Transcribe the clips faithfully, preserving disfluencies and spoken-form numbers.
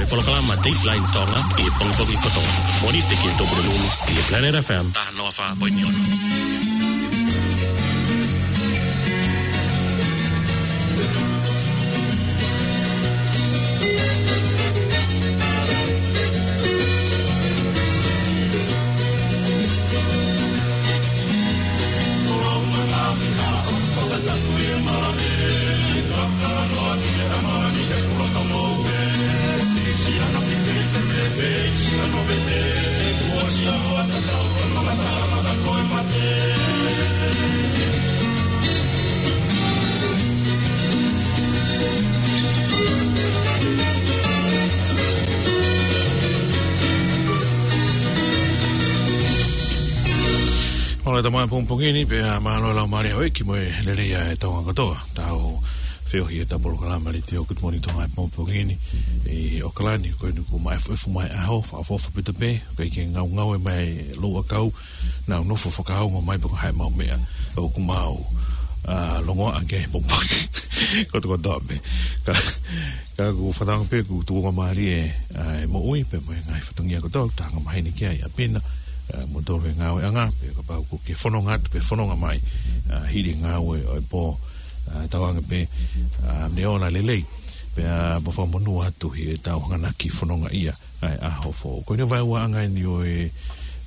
Polokalama Dateline Tonga ʻi he pongipongi kotoa. Mōnite ki he Tupuna Nunu ʻi he Planet F M taha noa fā poini ono. Mālō e tama pongipongi ni, pea mālō e laumālie ʻo e ʻEiki mo e lelei ʻa e Tonga kotoa. Tau feohi ʻi heʻetau polokalama letiō Good Morning Tonga he pongipongi ni ʻi ʻAokalani, ko eni kuo maʻefuʻefu mai ʻaho, fakaʻofoʻofa pē, ʻikai ke ngaungaue mai e louʻakau, nau nofo fakaongo mai pe ko e hā e maʻu meʻa ʻoku mau, ā, longoaʻa ki ai he pongipongi kotokotoa pē. Ka, ka ʻoku fakatauange pē ʻoku tuʻunga mālie, ā, e moʻui pea mo e ngaahi fatongia kotoa ʻoku tau angamaheni ki ai, ʻa Pina, ā, mo tolu he ngāueʻanga, pea kapau ʻoku ke fononga atu pe fononga mai, ā, hili e ngāue ʻo e pō, ā, tauange pē, ā, ne ola lelei. Pea mo fakamonū atu ʻi heʻetau hanganaki fonongaʻia ʻa e ʻaho foʻou. Ko eni e vaeuaʻanga eni ʻo e,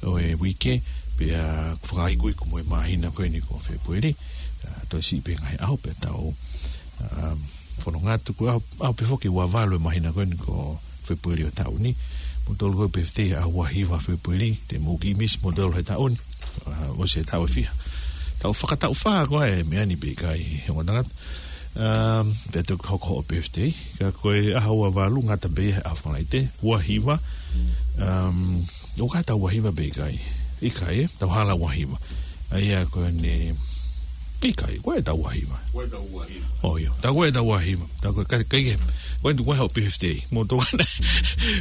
ʻo e uike, pea fakaikuiku mo e māhina ko eni ko Fēpueli. Ā, toe siʻi pē ngaahi ʻaho pea tau, ā, fononga atu, ko e ʻaho, ʻaho pē foki ua valu e māhina ko eni ko Fēpueli ʻo e taʻu ni. Mo tolu ko e pefitei ʻaho ua hiva Fēpueli, te mou kiʻi misi mo tolu he taʻu ni. Ā, ʻosi e taʻu ʻe fiha. Taʻu fakataʻu fā ko ē e meʻa ni pe ʻikai, he ongo tangata. Um, pea toki hoko hoʻo birthday. Ka ko e ʻaho ua valu ngata pē he ʻaho Falaite, ua hiva. Um, ʻoku ʻi ai e taʻu ua hiva pe ʻikai? ʻIkai, ē? Tau hala ua hiva. ʻA ia ko eni, ʻikai, ko e taʻu ua hiva. Ko e taʻu ua hiva. ʻOi, ʻio. Tā ko e taʻu ua hiva. Tā ko e, ka, ka ʻikai ke, ko eni ko e hoʻo birthday. Mo tō ana,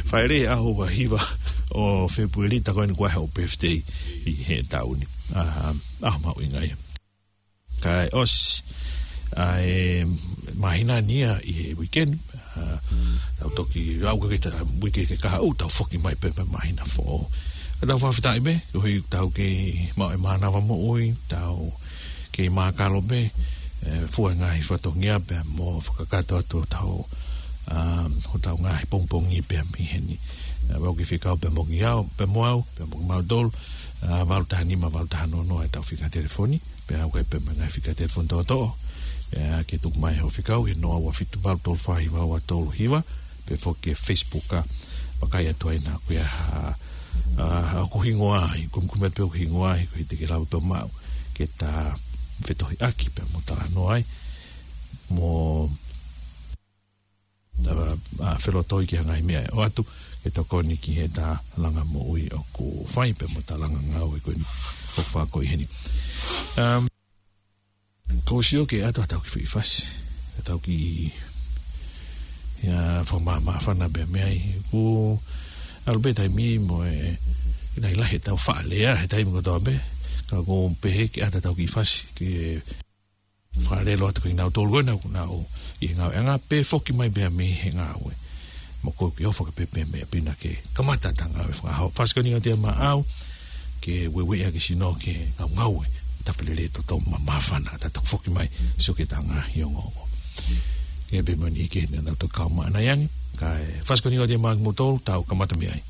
Falaite ʻaho ua hiva ʻo Fēpueli, tā ko eni ko e hoʻo birthday ʻi he taʻu ni. Ā, ʻaho mahuʻinga ia. Kae ʻosi ʻa e māhina ni ia ʻi he weekend, ā, tau toki lau ka ke ta uike ke kahaʻu, tau foki mai pē mo e māhina foʻou. Ka tau fakafetaʻi pē, koeʻuhi tau kei maʻu e mānava moʻui, tau kei mākalo pē, ē, fua e ngaahi fatongia pea mo fakakakato atu hotau, ā, hotau ngaahi pongipongi pea mei heni. Ā, ʻoku ke fekau pea mo kimautolu, pea mo au, pea mo kimautolu, ā, valu taha nima, valu taha noa noa ʻetau fika telefoni. Pea ʻoku ʻi ai pē mo e ngaahi fika telefoni toʻotoʻo. Pea ke tuku mai hoʻo fekau, he noa ua fitu valu tolu fā hiva ua tolu hiva, pe foki ki he Facebook ā, vakai atu ai naʻa ʻoku ʻi ai ha, ā, ʻoku hingoa ai, kumikumi atu pē ʻoku hingoa ai, koeʻuhi te ke lava pē ʻo maʻu, ke ta fetohiʻaki pea mo talanoa ai. Mo ta, ā, felotoi ki ha ngaahi meʻa ʻe ʻoatu, ke tokoni ki heʻeta langa moʻui ʻoku fai pea mo ʻeta langa ngāue ko eni ʻoku fai ko ē heni. Um, ʻoku ou sio ke ʻoatu haʻatau kiʻi foʻi fasi, haʻatau kiʻi, ʻio, fakamāmāfana pea mei ai. Kuo ʻalu pē taimi mo e, ʻi he lahi ʻetau faʻa lea he taimi kotoa pē, ka ʻoku ou pehē ke ʻoatu haʻatau kiʻi fasi, ke fakalelei atu kiate kinautolu ko ena ʻoku nau ʻi he ngāueʻanga pe foki mai pea mei he ngāue. Mo ko e kiʻi ʻofa ka pehē pē meʻa Pina ke kamata ʻeta ngāue fakaʻaho. Fasi ko eni ʻoku ʻiate au maʻau, ke ueʻi ʻaki e sino ke ngaungaue, tapu lelei, toto māmāfana, ta toki foki mai, sio ki heʻeta ngaahi ongoongo. Ke pehē mo eni ke ne nau toki kau maʻana ange, kae fasi ko eni ʻoku ʻiate au maʻau kimoutolu, tau kamata mei ai.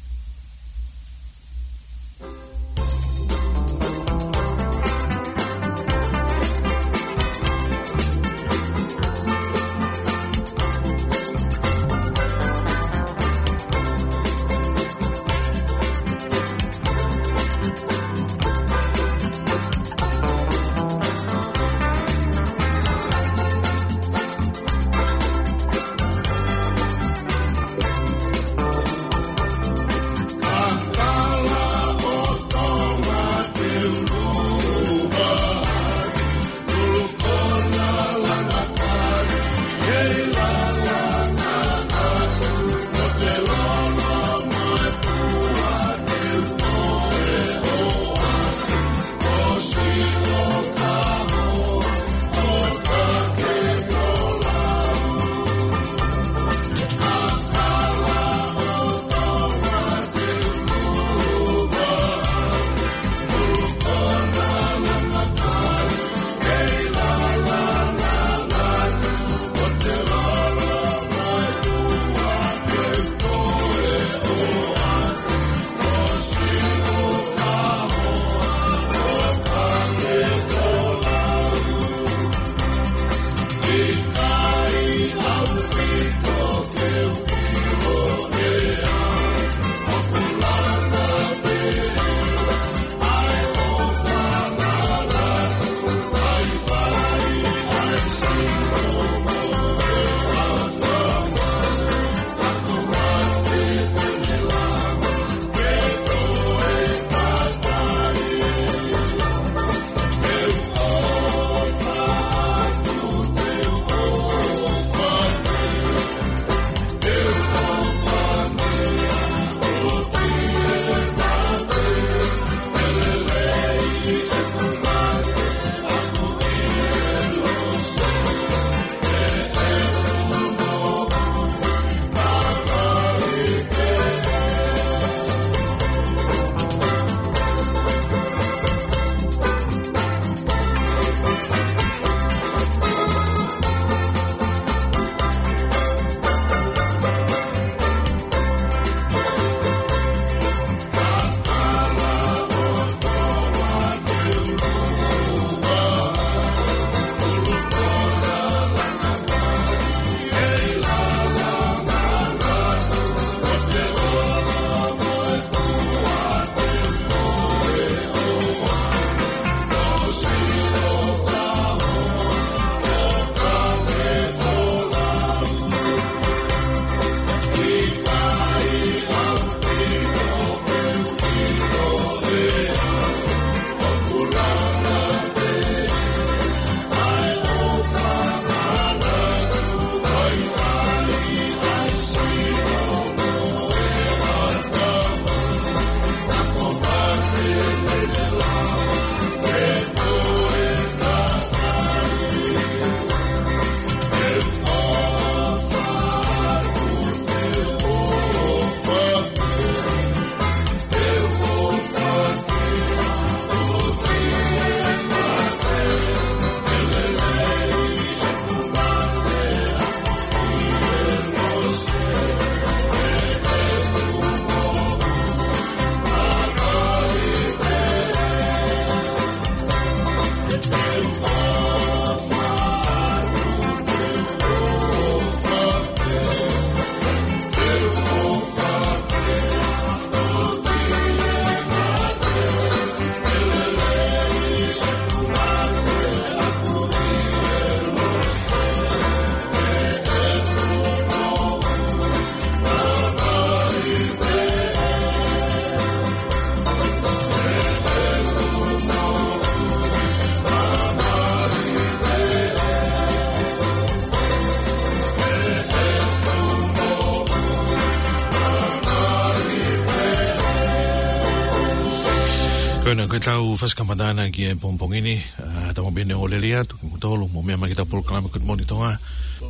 Pea ko ʻetau fakamatala ki he pongipongi ni, ʻa, tau pehē ʻoku lelei atu kimoutolu mou meʻa mai ki heʻetau polokalama Good Morning Tonga.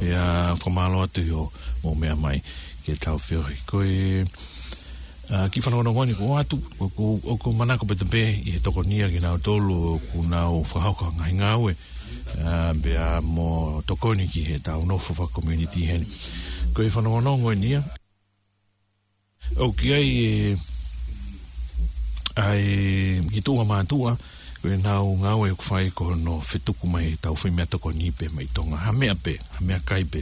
Pea fakamālō atu ʻi hoʻomou meʻa mai ki heʻetau feohi. Ko e, ʻa, kiʻi fanongonongo ni ʻoku ʻoatu, ʻoku, ʻoku, ʻoku manako pē ʻi he tokoni ia kinautolu ʻoku nau fakahoko ngaahi ngāue, ʻa, pea mo tokoni ki heʻetau nofo faka-community heni. Ko e fanongonongo eni ia, ʻoku ʻi ai e, ʻa e, kiʻi tuʻunga mātuʻa, ko ʻenau ngāue ʻoku fai ko hono fetuku mai ʻetau foʻi meʻatokoni pē mei Tonga. Ha meʻa pē, ha meʻakai pē.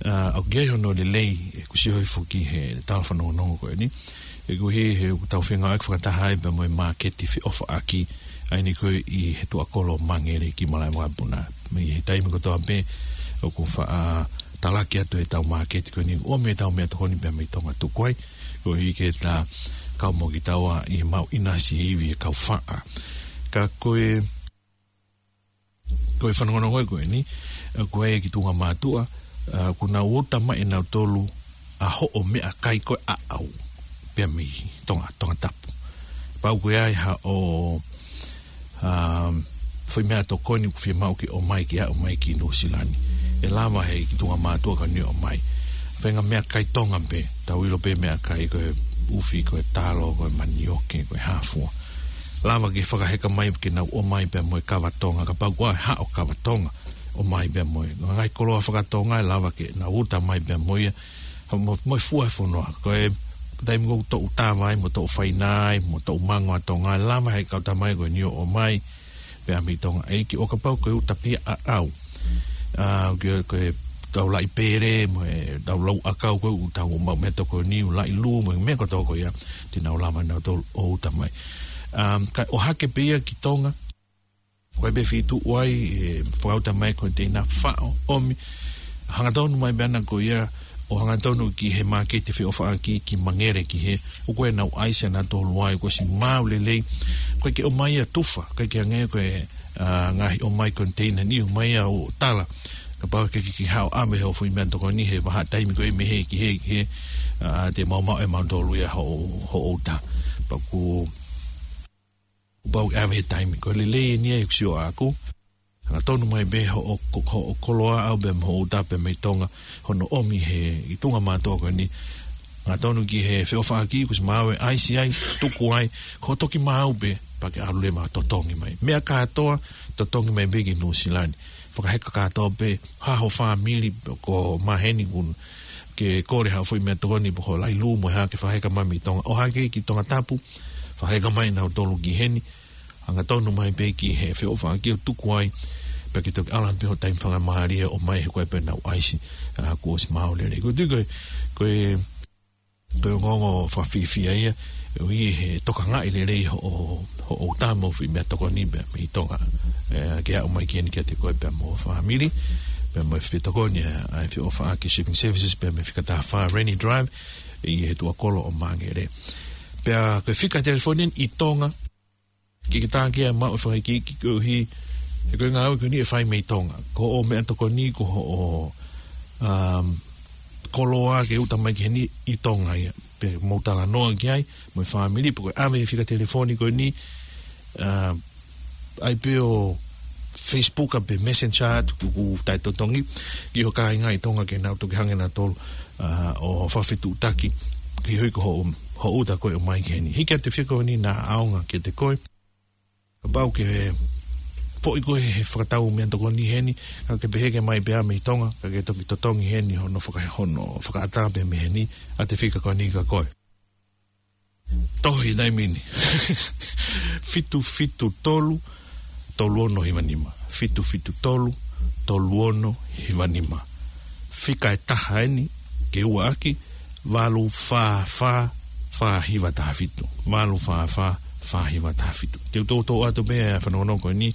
ʻA, ʻoku ʻi ai hono lelei, ʻoku sio hifo ki he tala fanongonongo ko eni. ʻOku ʻi ai he ʻoku tau fengāueʻaki fakataha ai pea mo e māketi feʻofaʻaki, ʻa eni ko ē ʻi he tuʻakolo Mangere ki Malaʻevakapuna. Mei he taimi kotoa pē, ʻoku faʻa talaki atu ʻetau māketi ko eni, ʻomi ʻetau meʻatokoni pē mei Tonga tuku ai, koeʻuhi ke ta kau mo kitaua ʻi he maʻu ʻinasi e ivi ʻa e kau faʻa. Ka ko e, ko e fanongonongo ko eni, ʻa, ko e kiʻi tuʻunga mātuʻa, ʻa, ʻoku nau ʻuta mai ʻe nautolu ʻa hoʻo meʻakai ko ē ʻaʻau pē mei Tonga, Tongatapu. Pau ko e ʻi ai haʻo, ʻa, foʻi meʻatokoni ʻoku fiemaʻu ke ʻomai ke aʻu mai ki Nuʻusila ni. ʻE lava he kiʻi tuʻunga mātuʻa ko eni ʻo ʻomai. Faʻahinga meʻakai Tonga pē, tau ʻilo pē meʻakai ko e ʻufi, ko e talo, ko e manioke, ko e hāfua. Lava ke fakaheka mai ke nau ʻomai pea mo e kava Tonga, kapau ʻoku ʻi ai haʻo kava Tonga, ʻomai pea mo e ngaahi koloa faka-Tonga, ʻe lava ke nau ʻuta mai pea mo ia, mo, mo e fua e fonua. Ko e taimi ʻoku toʻu tava ai, mo toʻu faina ai, mo toʻu mango ʻa Tonga, ʻe lava he kau tama ko eni ʻo ʻomai pē mei Tonga. ʻEiki, ʻo kapau ko e ʻuta pē ia ʻaʻau, ʻa, ko e, ko e tau laʻi pele, mo e tau lau ʻakau ko ē ʻoku tau maʻu meʻatokoni, ʻū laʻi lū, mo e meʻa kotoa ko ia, te nau lava nautolu ʻo ʻuta mai. ʻA, kae ʻohake pē ia ki Tonga, ko e pē feituʻu ai ʻe fakaʻuta mai e koniteina, faʻo, ʻomi, hangatonu mai pē ʻana ko ia, ʻo hangatonu ki he māketi feʻofaʻaki ki Mangere ki hē, ʻoku ʻi ai ʻenau ʻaisi ʻanautolu ai, kuo ʻosi maau lelei, ʻoku ʻikai ke ʻomai ia tufa, ʻikai ke hangē ko e, ʻa, ngaahi ʻomai koniteina ni, ʻomai ia ʻo tala. Kapau ʻoku ke, ke, ke haʻu ʻo ʻave hoʻo foʻi meʻatokoni he vahaʻa taimi ko ē mei hē ki hē ki hē, ʻa, te mau maʻu ʻe mautolu ia hoʻo, hoʻo ʻuta. Pea ʻoku pau ke ʻave he taimi. Ko e lelei eni ia ʻeku sio ʻaʻaku. Hangatonu mai pē hoʻo ko-, hoʻo koloa ʻaʻau pea mo hoʻo ʻuta pē mei Tonga, hono ʻomi he kiʻi tuʻunga mātuʻa ko eni. Hangatonu ki he feʻofaʻaki, kuo ʻosi maau e ʻaisi ai, tuku ai, ko e toki maau pē, pea ke ʻalu leva ʻo totongi mai. Meʻa kātoa, totongi mai pē ki Nuʻusila ni. Fakaheka kātoa pē, ha ho fāmili, ko maheni ʻoku ke kole haʻo foʻi meʻatokoni pe ko e laʻi lū mo e hā ke fakaheka mai mei Tonga. ʻOhake ki Tongatapu, fakaheka mai ʻe nautolu ki heni, hangatonu mai pē ki he feʻofaʻaki ʻo tuku ai, pea ke toki ʻalu pē hoʻo taimi fakamālie ʻo ʻomai he ko e pē ʻenau ʻaisi, ʻa, kuo ʻosi maau lelei. Ko e tui ko e, ko e, ko e ongoongo fakafiefia ia, ʻoku ʻi he tokangaʻi lelei hoʻo, hoʻo ʻuta mo e foʻi meʻatokoni pē mei Tonga. ʻE, ke aʻu mai ki heni kiate koe pea mo ho fāmili, pea mo e fetokoni ʻa, ʻa e feʻofaʻaki Shipping Services pea mei he Fika Taha Fā Rainy Drive, ʻi he tuʻakolo ʻo Mangere. Pea ko e fika telefoni ʻi Tonga, ke ke tākia maʻu e fakaikiiki koeʻuhi, he ko e ngāue ko eni ʻe fai mei Tonga. Ko hoʻo meʻatokoni, ko hoʻo, um, koloa ke ʻuta mai ki heni ʻi Tonga ia. Pea mou talanoa ki ai, mo e fāmili, pe ko e ʻave he fika telefoni ko eni, uh, ʻai pē ʻo Facebook ʻa pe Messenger atu ki hoʻo taʻetotongi, ki ho kāinga ʻi Tonga ke nau toki hanga ʻe nautolu, ʻa, ʻo fakafetuʻutaki, koeʻuhi ko hoʻo, hoʻo ʻuta ko ē ʻomai ki heni. Hiki atu e fika ko eni naʻa ʻaonga kiate koe. Kapau ʻoku ke foʻi koe he fakatau meʻatokoni heni, ka ke pehē ke ʻomai pē ia mei Tonga, ka ke toki totongi heni hono faka-, hono fakaʻatā pē mei heni, ʻa e fika ko eni kia koe. Tohi he taimi ni. Fitu fitu tolu, tolu ono hiva nima. Fitu fitu tolu, tolu ono hiva nima. Fika ʻe taha eni, ke ua ʻaki, valu fā fā, fā hiva taha fitu. Valu fā fā, fā hiva taha fitu. Te u toutou ʻoatu pē ʻa e fanongonongo ko eni,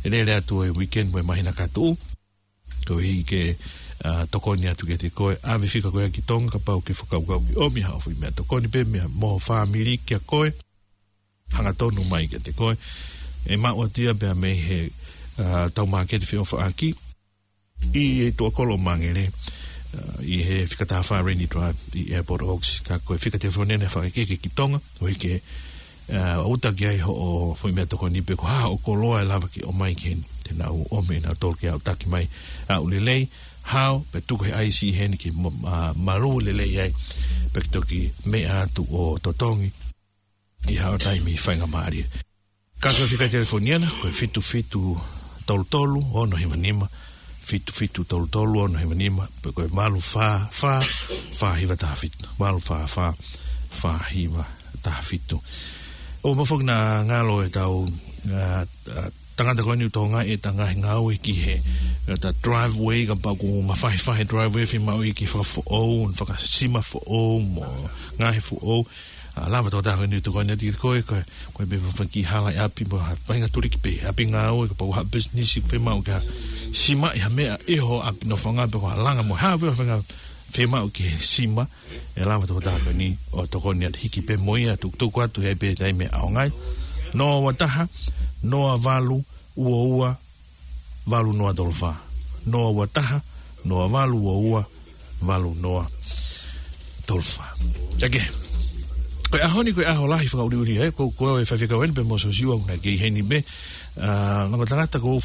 ʻe lele atu e weekend mo e māhina ka tuʻu. Koeʻuhi ke, ʻa, tokoni atu kiate koe, ʻave e fika ko ia ki Tonga, kapau ʻoku ke fakakaukau ke ʻomi haʻo foʻi meʻatokoni pē mei ho fāmili kia koe, hangatonu mai kiate koe. ʻE maʻu atu ia pea mei he, ʻa, ʻetau māketi feʻofaʻaki ʻi he tuʻakolo Mangere, ʻa, ʻi he Fika Taha Fā Rainy Drive ʻi Airport Oaks, ka ko e fika telefoni eni ʻa e fakakehekehe ki Tonga, koeʻuhi ke ʻa, ʻo uta ki ai hoʻo foʻi meʻatokoni pe ko e hā hoʻo koloa ʻe lava ke ʻomai ki heni. Te nau ʻomi ʻenautolu ke aʻutaki mai. ʻAʻu lelei, hao, pea tuku he ʻaisi heni ke mo-, ʻa, malū lelei ai. Pea ke toki meʻa atu ʻo totongi ʻi haʻo taimi faingamālie. Ka ko e fika telefoni ʻana, ko e fitu fitu tolu tolu, ono hiva nima, fitu fitu tolu tolu, ono hiva nima, pe ko e valu fā fā, fā hiva taha fitu, valu fā fā, fā hiva taha fitu. ʻOku mau foki naʻa ngalo ʻetau, ʻa, ʻa, tangata ko eni ʻoku tokangaʻi ʻeta ngaahi ngāue ki he, ʻeta driveway, kapau ʻoku mafahifahi driveway, fiemaʻu ia ke fakafoʻou, fakasima foʻou, mo ngaahi foʻou. ʻA, lava tokotaha ko eni ʻo tokoni atu kiate koe, ko e, ko e pē fafaki hala ʻi ʻapi mo ha faʻahinga tuliki pē, ʻapi ngāue, kapau ha business, fiemaʻu ke ha simaʻi ha meʻa ʻi ho ʻapi nofoʻanga pe ko ha langa mo ha pē fafanga fiemaʻu ke sima, ʻe lava tokotaha ko eni ʻo tokoni atu hiki pē mo ia tukutuku atu he pē taimi ʻaonga ai. Noa ua taha, noa valu, ua ua, valu noa tolu fā. Noa ua taha, noa valu ua ua, valu noa tolu fā. Ia ke. Ko e ʻaho ni, ko e ʻaho lahi fakaʻuliʻuli, ē, ko, ko e faifekau eni pē mo Sosiua naʻe kei heni pē. ʻA, ngaahi tangata ko,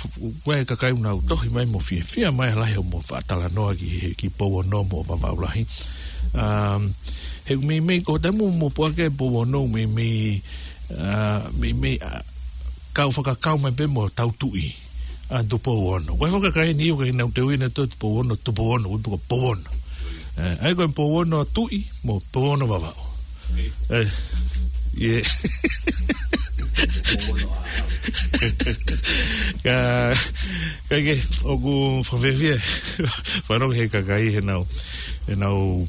ko e kakai ʻoku nau tohi mai mo fiefia mai lahi ʻo mo fakatalanoa ki he, ki Pouono mo Vavaʻu Lahi. ʻA, he meimei ko e taimi ʻoku mo puake Pouono meimei, ʻa, meimei, ʻa, kau fakakau mai pē mo tau tuʻi ʻa Tupou Ono. Ko e fakakai ni ʻoku ʻikai ke nau teuina ʻe Tupou Ono, Tupou Ono, ʻoku ʻikai ko Pouono. ʻE, ʻa ia ko e Pouono Tuʻi mo Pouono Vavaʻu. ʻE, ʻio. Ka, ka ke, ʻoku fakafiefia. Fanongo he kakai he nau, he nau,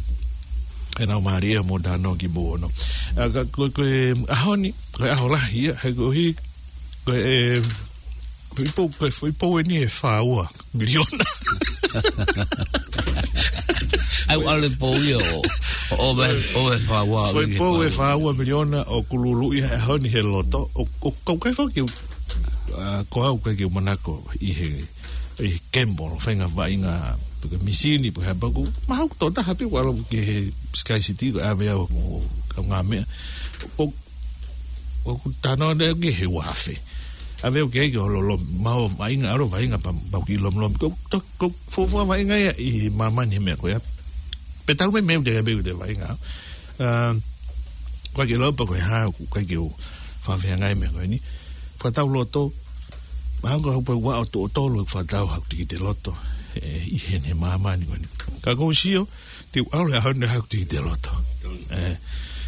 he nau mālie mo tano ki Pouono. ʻA, ka, ko, ko e ʻaho ni, ko e ʻaho lahi ia, he ko hi, ko e, foʻi pou, ko e foʻi pou eni ʻe fā ua miliona. ʻAi, ʻalu e pou ia ʻo, ʻo, ʻo, ʻo, ʻo e fā ua, foʻi pou ʻe fā ua miliona ʻoku luluʻi he ʻaho ni he loto, ʻo, ʻo, ʻoku ʻikai foki, ʻa, ko au ʻikai ke u manako ʻi he, ʻi he gamble, faʻahinga vaʻinga, pe ko e misini, pe ko e hā pē ʻoku, mahalo ko e tokotaha pē ʻoku ʻalu ki he Sky City, ko e ʻave au ʻo, ʻo kau ngaahi meʻa. ʻOku, ʻoku tano ne ki he ua afe. ʻAve au ki ai ke ʻalu ʻo lom-, maʻu vaʻinga, ʻalu ʻo vaʻinga pea, pea u kiʻi lomolomi. Ko, to, ko, fuofua vaʻinga ia ʻi māmani he meʻa ko ia. Pea talu mei meʻa ʻoku te, pea ʻoku te vaʻinga. ʻA, ʻoku ʻikai ke lau pe ko e hā, ʻoku ʻikai ke u fafeangai meʻa ko eni. Fakatau loto, mahalo ko e hā pē ʻoku ʻalu ʻo tuʻu ʻo tolu ʻeku fakatau haʻaku tikite loto, ʻe, ʻi heni he māmani ko eni. Ka ʻoku ou sio, te u ʻalu he ʻaho ni haʻaku tikite loto. ʻE,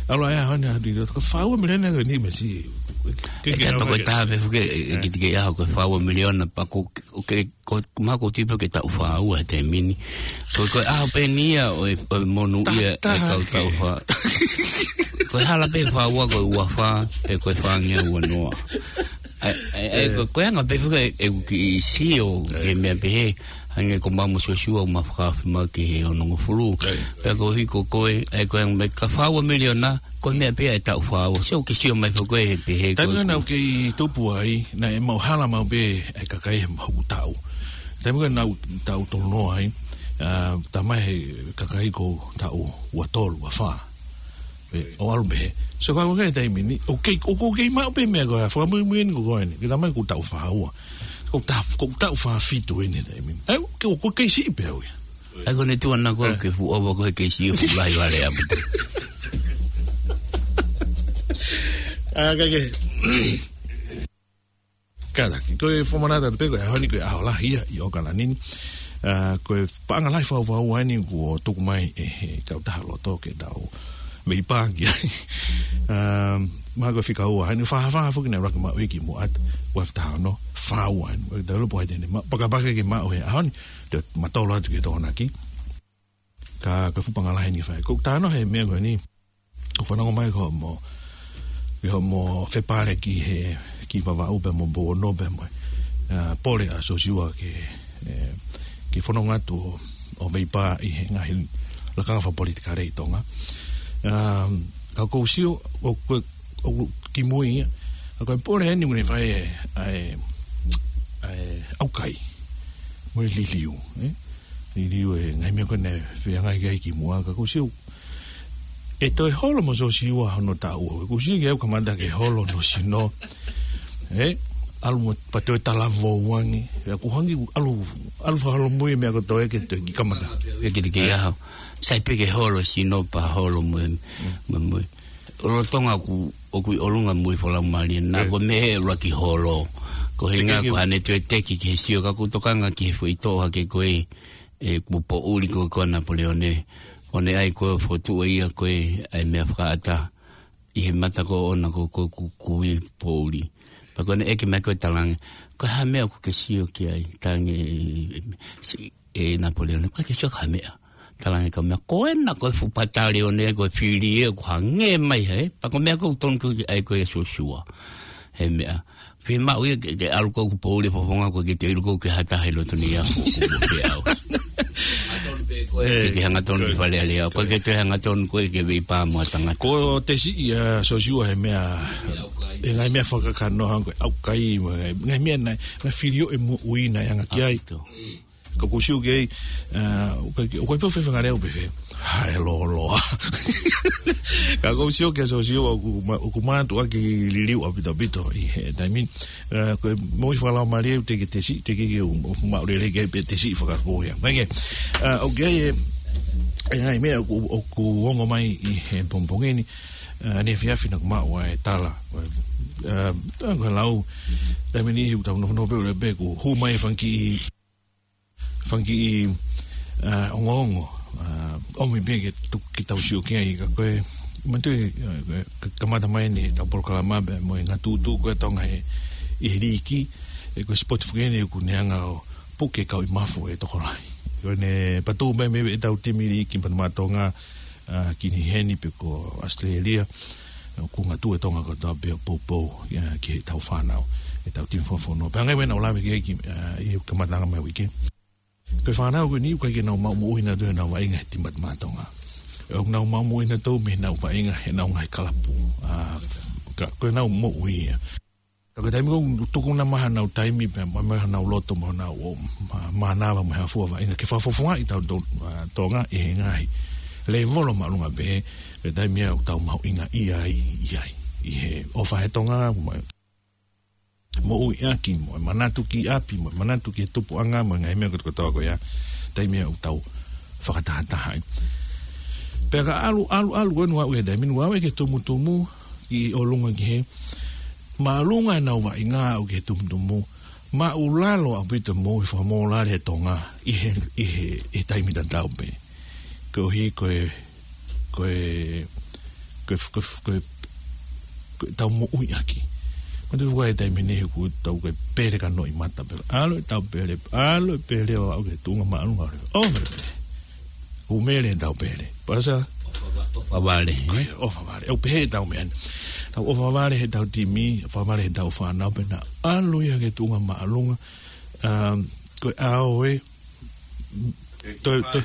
ʻalu he ʻaho ni haʻaku tikite loto. Ko e fā ua miliona ko eni mesi. Ke, ʻe ke ka nau toko hake. Taha pē fuke, ʻe, ʻe, ʻe. Ki te ke ʻaho ko e fā ua miliona pea ko, ʻoku ke, ko, mahalo ʻoku ou tui pē ke taʻu fā ua he taimi ni. Ko, ko e ʻaho pē eni ia ʻo e, ʻo e monū ia ʻe taha kau ke. Taʻu fā. Ko e hala pē fā ua ko e ua fā, pe ko e fāngeau ua noa. ʻAi, ʻai, ʻai, ʻE. Ko, ko e anga pē fuke ʻeku kiʻi sio, ʻE. Ke meʻa pehē, hangē ko Mamo Sosiua ʻoku ma fakaafe mai ki he onongofulu. ʻE. Pea ko hiko ko e, ʻai ko e anga mai ka fā ua miliona, ko e meʻa pē ʻe taʻu fā ua. Sio ke sio mai fuke he pehē ko Taimi ʻeku. Naʻa ku kei tupu ai, naʻe maʻu hala maʻu pē ʻe kakai he maʻu taʻu. Taimi ko ē naʻa ku taʻu tolu noa ai, ʻa, talamai he kakai ko e taʻu ua tolu, ua fā. ʻE, ʻo ʻalu pē. So, ka ko e taimi ni, ʻoku kei, ʻoku kei maʻu pē meʻa ko e, fakamuimui eni ko eni. Ke talamai ʻoku ou taʻu fā ua. ʻOku ou ta-, ʻoku ou taʻu fā fitu eni he taimi ni. ʻAi, ke, ʻoku kei siʻi pē au ia. ʻAi, ko ʻene tuʻu ʻana ko ē. ʻE. Ke fuʻu ʻova ko e kei siʻi ʻoku lahi vale apu. ʻA, ka ke. Kātaki, ko e fakamanatu atu pē ko e ʻaho ni ko e ʻaho lahi ia ʻi ʻAokalani ni. ʻA, ko e paʻanga lahi fakaʻuhiʻuhi eni kuo tuku mai ʻe he kautaha loto ke tau veipā ki ai. ʻA, mahalo ko e fika ua eni, fā fā foki naʻe ʻuluaki maʻu ia ki Muʻa, ua afe taha ono, fā ua eni, ʻoku tau lopo ai tene, ma-, pakapaka ke maʻu he ʻaho ni, te u matolo atu ki he Tokonaki. Ka, ka fuʻu paʻanga lahi eni fai. Ko e tano he meʻa ko eni. ʻOku fanongo mai ko mo, ki hoʻomo fepale ki he, ki Vavaʻu pea mo Pouono pea mo, ʻa, pole ʻa Sosiua ke, ʻe, ke fononga atu ʻo, ʻo veipā ʻi he ngaahi lakanga fakapolitikale ʻi Tonga. ʻA, ka ʻoku ou sio, ʻo, ʻo, ʻo kimui ia. Ka ko e pole eni ʻoku ne fai ʻe, ʻa e, ʻa e ʻaukai. Mo e liliu, ē? Liliu e ngaahi meʻa ko ē naʻe feangai ki ai ki Muʻa, ka ʻoku ou sio ʻE toe holo mo Siosiua hono taʻu ua. Kuo ʻosi ke ʻalu kamata ke holo hono sino. ʻE, ʻalu mo pea toe talavou ange. ʻE, kuo hangē kuo ʻalu, ʻalu fakaholomui e meʻa kotoa ke toe kiʻi kamata. ʻE, ke te ke aho. Sai pē ke holo sino pea holo mo, mo, mo. ʻOlo Tonga ʻoku, ʻoku ʻi ʻolunga mo e fakalaumālie. Naʻa ko e meʻa ʻuluaki holo. Ko e hinga ko ʻene toe teki ki he sio ka ʻoku tokanga ki he foʻi toʻo hake ko ē. ʻE, kuo poʻuli ko ē ko Napoleone. ʻO ne ʻai ko e fotu ia ko ē ʻai meʻa fakaʻata. ʻI he mata ko ē ʻoʻona ko ē ko ē kuo, kuo ʻi poʻuli. Pea ko ʻene ʻeke mai ko ē talaange. Ko e hā e meʻa ʻoku ke sio ki ai, talaange, si-, ʻe Napoleone, ʻikai ke sio ki ha meʻa. Talaange ka meʻa, ko ena ko e fuʻu patale ʻo ne, ko e fili ē, ʻoku hangē mai hē. Pea ko e meʻa ko ē ʻoku tonu ke ʻai ko ē ʻe Siosiua. He meʻa. Fiemaʻu ia ke, ke ʻalu ko ē ʻoku poʻuli e fofonga ko ē ke te ʻilo ko ē ke hata he loto ni a ko ē ke au. Ke, ke hangatonu ki Fale Alea. Ko e ke te hangatonu ko ē ke vei pā mo e tangata. Ko e tesi ia Siosiua he meʻa, ʻe ngaahi meʻa fakakanoa ko e ʻaukai, mo e ngaahi meʻa naʻe, naʻe fili ʻo e moʻui naʻe anga ki ai. Ka ʻoku ou sio ki ai, ʻa, ʻoku ʻikai, ʻoku ʻikai pē ʻo fefengaleu pē fē. Hae loloa. Ka ʻoku ou sio ki ai Siosiua ʻoku ma-, ʻoku mātuʻaki liliu ʻaupito ʻaupito ʻi he taimi ni. ʻA, ko e moʻui fakalaumālie ʻoku teʻeki ke tesi, teʻeki ke u, u maʻu lelei ki ai pē tesi fakapō ia. Mai ke, ʻa, ʻoku ʻi ai e, e ngaahi meʻa ʻoku, ʻoku ongo mai ʻi he pongipongi ni, ʻa, ʻaneefiafi naʻa ku maʻu ai e tala. ʻA, ʻa, ko e lau, taimi ni he ʻoku tau nofonofo pē ʻo lea pē ʻoku hū mai e fanga kiʻi fanga kiʻi, ʻa, ongoongo, ʻa, ʻomi pē ke tu-, ke tau sio ki ai ka ko e, manatuʻi, ʻa, ko e, ka-, kamata mai eni ʻetau polokalama pea mo e ngatuʻutuʻu ko ē Tonga ʻi he, ʻi he liiki, ʻe ko e sipoti foki eni ʻoku ne hanga ʻo puke kau ʻi mafo e tokolahi. Ko ʻene patū mai mei ʻetau timi liiki Pātūmaʻa Tonga, ʻa, ki Nuʻu Sila pe ko ʻAositelēlia, ʻoku ngatuʻu e Tonga kotoa pē ʻo poupou, ʻa, ki heʻetau fānau, ʻetau timi fakafonua. Pea ngali wena ʻo lave ki ai ki, ʻa, ʻi he kamataʻanga mai uike. Ko e fānau ko eni ʻoku ʻikai ke nau maʻu moʻui nautolu ʻenau vaʻinga he timi Pātūmaʻa Tonga. ʻOku nau maʻu moʻui nautolu mei heʻenau vaʻinga heʻenau ngaahi kalapu. ʻA, ka, ko ʻenau moʻui ia. Ka ko e taimi ko ē ʻoku tuku na mai hanau taimi pea mo, mo hanau loto mo hanau ō, ma-, mānava mo e hā fua vaʻinga ke fakafofongaʻi tautolu, ʻa, Tonga ʻi he ngaahi lēvolo māʻolunga pē, ko e taimi ia ʻoku tau mahuʻingaʻia ai, ʻi ai, ʻi he ʻofa he Tonga, mo e moʻuiʻaki, mo e manatu ki ʻapi, mo e manatu ki he tupuʻanga, mo e ngaahi meʻa kotokotoa ko ia, taimi ia ʻoku tau fakatahataha ai. Pea ka ʻalu, ʻalu, ʻalu, ko eni ʻoku aʻu ki he taimi ni, ʻoku aʻu ki he tumutumu, ʻi ʻolunga ki he, māʻolunga ʻenau vaʻinga ʻo aʻu ki he tumutumu, māʻulalo ʻaupito e moʻui fakamōlale ʻa e Tonga ʻi he, ʻi he, ʻi he taimi tatau pē. Koeʻuhi ko e, ko e, ko e, ko e, ko e, ko ʻetau moʻuiʻaki. Manatuʻi ko e taimi ni he ʻoku tau ko e pele ka noʻi mata pē. ʻAlu ʻetau pele, ʻalu e pele ʻo aʻu ki he tuʻunga māʻolunga. ʻO, pele. Kuo mele ʻetau pele. Pasa? ʻOfa vale, ē? ʻOfa vale. ʻOku pehē ʻetau meʻa ni. Tau ʻofa vale heʻetau timi, ʻofa vale heʻetau fānau pea nau ʻalu ia ki he tuʻunga māʻolunga. Um, ko e ʻaho ē. Toe, toe,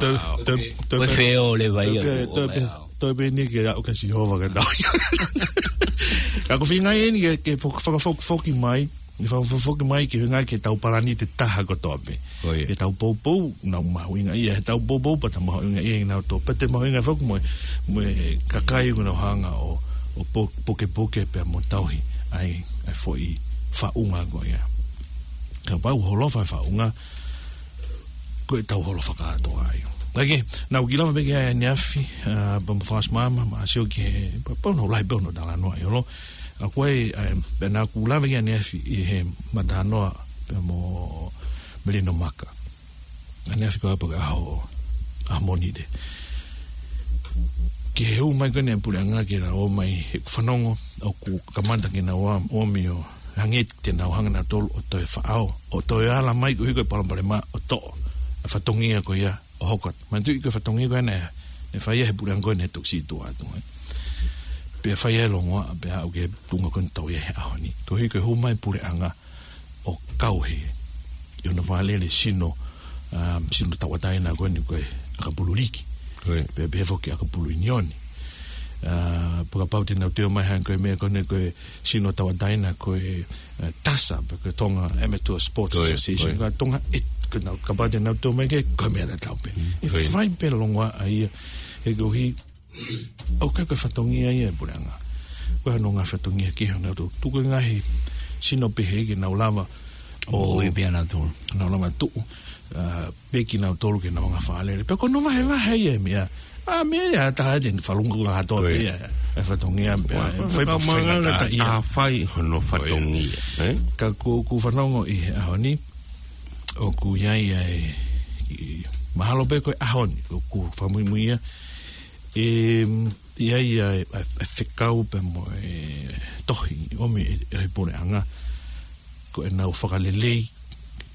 toe, toe, toe, ko e feole vai ia, toe, toe, toe, toe pē eni ke aʻu kia Sihova ke nau. Ka ko e feinga eni ke, ke fo-, fakafokifoki mai. ʻE fakafokifoki mai ke feinga ke tau palani ʻi he taha kotoa pē. Ko ia. Ke tau poupou, nau mahuʻingaʻia, he tau poupou pea tau mahuʻingaʻia ʻi nautolu. Pea te mahuʻinga foki mo, mo e kakai ʻoku nau hanga ʻo, ʻo po-, pukepuke pea mo tauhi ai, ʻa e foʻi faʻunga ko ia. Kapau holofa e faʻunga, ko ʻetau holofa kātoa ia. Naʻa ke, naʻa ku kiʻi lava pē ki ai ʻaneafi, ʻa, pea mo Fasi Mama, mo Sio ki he, pea, pea ʻoku lahi pē hono talanoa ʻi ʻolunga. ʻA ko ē, ʻa, pea naʻa ku lave ki ai ʻaneafi ʻi he matanoa pea mo Melino Maka. ʻAneafi ko ē pea ko e ʻaho, ʻaho Mōnite. Ki he hū mai ko eni e puleʻanga ke nau ō mai he ʻoku fanongo, ʻoku kamata ke nau ō, ō mai ʻo hangē te nau hanga nautolu ʻo toe faʻao, ʻo toe ala mai koeʻuhi ko e palopalema ʻo toʻo e fatongia ko ia ʻo hoko atu. Manatuʻi ko e fatongia ko ena naʻe fai ia he puleʻanga ko ena naʻe toki situʻa atu, ē. Pea fai ia e longoaʻa, pea aʻu ki he tuʻunga ko ena ʻoku tau ʻi ai he ʻaho ni. Koeʻuhi ko e hū mai e puleʻanga ʻo kau hē ʻi hono vakalele sino, um, sino tauʻatāina ko eni ko e ʻakapulu liiki. Ko ia. Pea pehē foki ʻakapulu ʻiunioni. Uh, pea kapau te nau toe ō mai hangē ko e meʻa ko ena ko e sino tauʻatāina ko e, uh, TASA, pe ko e Tonga Amateur Sports Association, ko e Tonga ē, ko ena kapau te nau toe ō mai ke, ko e meʻa tatau pē. Mm, ʻe fai pē longoaʻa ia, He koeʻuhi, ʻoku ʻikai ko e fatongia ia ʻa e puleʻanga. Ko e hā hono ngaahi fatongia kehe ʻo nautolu. Tuku e ngaahi sino pehē ke nau lava ʻo, ʻo ui pea nautolu. Nau lava tuʻu, ā, pē kinautolu ke nau anga fālele. Pea ko hono vahevahe ia ʻa e meʻa. ʻA, meʻa ia ʻa e taha te ne falunga kātoa pē ia. ʻA e fatongia pē, ʻa e fai pē faingataʻa ia. Ka ʻoku fai hono fatongia, ē? Ka ʻoku, ʻoku fanongo ʻi he ʻaho ni, ʻoku ʻi ai ʻa e, ʻi, mahalo pē ko e ʻaho ni, ʻoku fakamuimui ia, ē, ʻi ai ʻa e, ʻa e, ʻa e fekau pē mo e tohi, ʻomi ʻe, ʻe he puleʻanga, ko ʻenau fakalelei,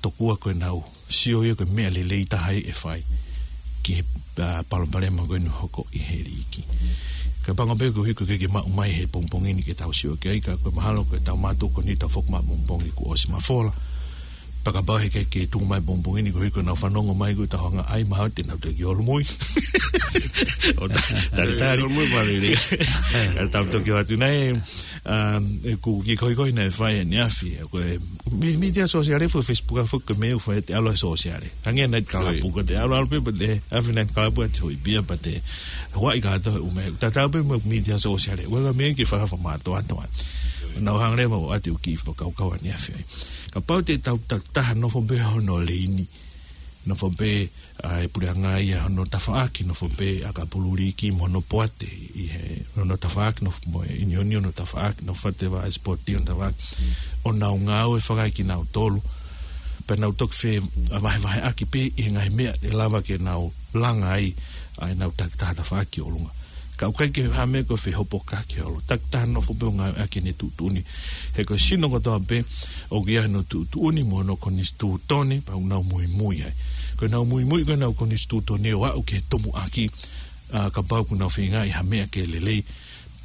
tokua ko ʻenau sio ia ko e meʻa lelei taha ia ʻe fai ki he, ā, palopalema ko eni ʻoku hoko ʻi he liiki. Ka pango pē koeʻuhi ko e ʻikai ke maʻu mai he pongipongi ni ke tau sio ki ai, ka ko e mahalo ko e tau mātuku ni tau foki mai pongipongi kuo ʻosi mafola. Pea kapau he ʻikai ke tuku mai pongipongi ni koeʻuhi ko ʻenau fanongo mai ko e tau hanga ai mahalo te nau toki ʻolomui. ʻO ta-, talitali. ʻOlomui pale lelei. Ka tau toki ʻoatu nai, um, ē, ʻoku kiʻi kohikohi naʻe fai ʻaneafi, ē, ko e mī-, mītia sōsiale foki, Facebook ʻa foki ko e meʻa ʻoku fai ʻe te ʻalu ʻa e sōsiale. Hangē night club, ko te ʻalu ʻalu pē pea te ʻave night club ʻa te hoi pia pea te huaʻi kātoa ʻume. Tatau pē mo e mītia sōsiale. Ua ka meʻa ke fakafa mātoa toa. Nau hanga leva ʻo ʻoatu kiʻi fakakaukau ʻaneafi ai. Kapau te tau takitaha nofo pē hono leini. Nofo pē ʻa e puleʻanga ia hono tafaʻaki, nofo pē ʻa e kau pulu liiki mo hono poate ʻi he, hono tafaʻaki, nofo mo e ʻiunioni hono tafaʻaki, nofo ʻa e tēvā ʻa e sipoti hono tafaʻaki. ʻO nau ngāue fakaekinautolu. Pea nau toki fe-, ʻa vahevaheʻaki pē ʻi he ngaahi meʻa ʻe lava ke nau langa ai ʻa ʻenau takitaha tafaʻaki ʻi ʻolunga. Ka ʻoku ʻikai ke ha meʻa ko e fehopokaki holo. Takitaha nofo pē ʻo ngāueʻaki ʻene tuʻutuʻuni. He ko e sino kotoa pē ʻoku ʻi ai hono tuʻutuʻuni mo hono konisitūtone, pea ʻoku nau muimui ai. Ko ʻenau muimui ko ʻenau konisitūtone ʻo aʻu ki he tumuʻaki, ā, kapau ʻoku nau feinga ʻi ha meʻa ke lelei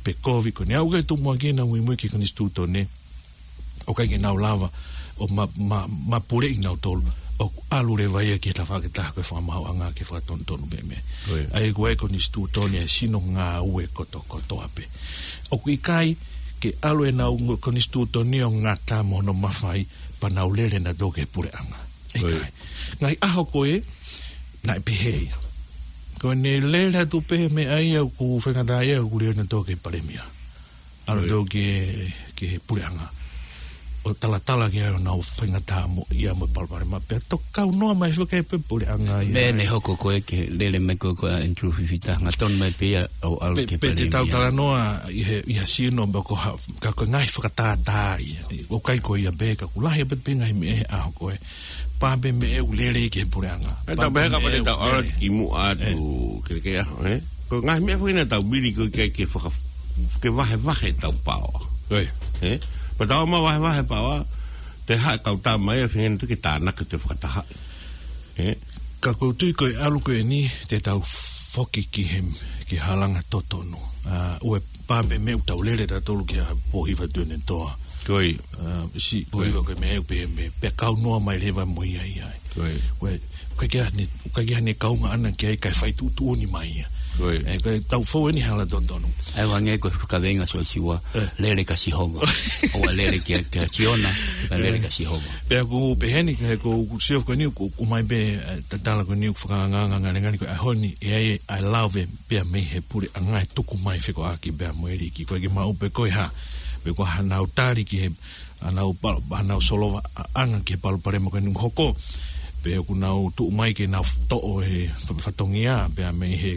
pe kovi, ko ʻene aʻu ki he tumuʻaki ʻenau muimui ki he konisitūtone, ʻoku ʻikai ke nau lava ʻo ma-, ma-, mapuleʻi kinautolu, ʻoku ʻalu leva ia ki he tafaʻaki ʻe taha ko e fakamaauʻanga ke fakatonutonu pē meʻa. ʻA ia ko e konisitūtone ʻa e sino ngāue kotokotoa pē. ʻOku ʻikai ke ʻalu ʻenau ngo-, konisitūtone ʻo ngata mo hono mafai pea nau lele nautolu ki he puleʻanga. ʻIkai. Ngaahi ʻaho ko ē, naʻe pehē ia. Ko ʻene lele atu pē meʻa ia ʻoku faingataʻaʻia ʻoku lele nautolu ki he palēmia. ʻAlu nautolu ki he, ki he puleʻanga. ʻO talatala ki ai ʻenau faingataʻa mo ia mo e palopalema. Pea toki kau noa mai fakae pē puleʻanga ia. Meʻa ne hoko ko ē ke lele mai ko ē ko Andrew Fifita. Ngata tonu mai pē ia ʻo ʻalu ki he palēmia. Pea te tau talanoa ʻi he, ʻi he sino pea ko ha, ka ko e ngaahi fakatātā ia. ʻOku ʻikai ko ia pē ka ʻoku lahi pē pē ngaahi meʻa he ʻaho ko ē. Pā pē meʻa ʻoku lele ki he puleʻanga. ʻE tau pehē kapau te tau ʻalu ki muʻa atu ke ke aho, ē? Ko e ngaahi meʻa foki naʻa tau vili ko ē ke, ke faka-, ke vahevahe tau paoa. Ē? Pea tau ma vahevahe paoa, te haʻa kau tama ia fengen tu ke tānaki te fakataha. Ē? Ka ʻoku ou tui ko e ʻalu ko eni, te tau foki ki he, ki he halanga totonu. Ā, ʻoua pā pē meʻa ʻoku tau lele tautolu ki ha pohiva tuene toa. Ā, si pohiva ko e meʻa ʻoku pehē pē, pea kau noa mai leva mo ia ia. ʻOku ʻikai ke ʻi ai hane, ʻoku ʻikai ke ʻi ai hane kaunga ʻana ki ai kae fai tuʻutuʻuni mai ia. Ē, ko e tau fou eni hala totonu. ʻA ia ʻoku hangē ko e fakavenga Siosiua, lele kia Sihova. ʻOua lele kia, kia Siona, ka lele kia Sihova. Pea ʻoku pehē ni, ka he ʻoku sio ko eni, ʻoku, ʻoku ʻomai pē, ē, tatala ko eni, ʻoku fakaangaanga ngalengani ko e ʻaho ni, ʻe ʻi ai e lave pea mei he puleʻanga ʻe tuku mai fekauʻaki pea mo e liiki. ʻOku ʻikai ke maʻu pē ko e hā, pe ko e hā ʻenau tali ki he, ʻenau pa-, ʻenau solova ʻa-, ʻanga ki he palopalema ko eni ʻoku hoko. Pe ʻoku nau tuʻu mai ke nau f-, toʻo e fa-, fatongia, pea mei he,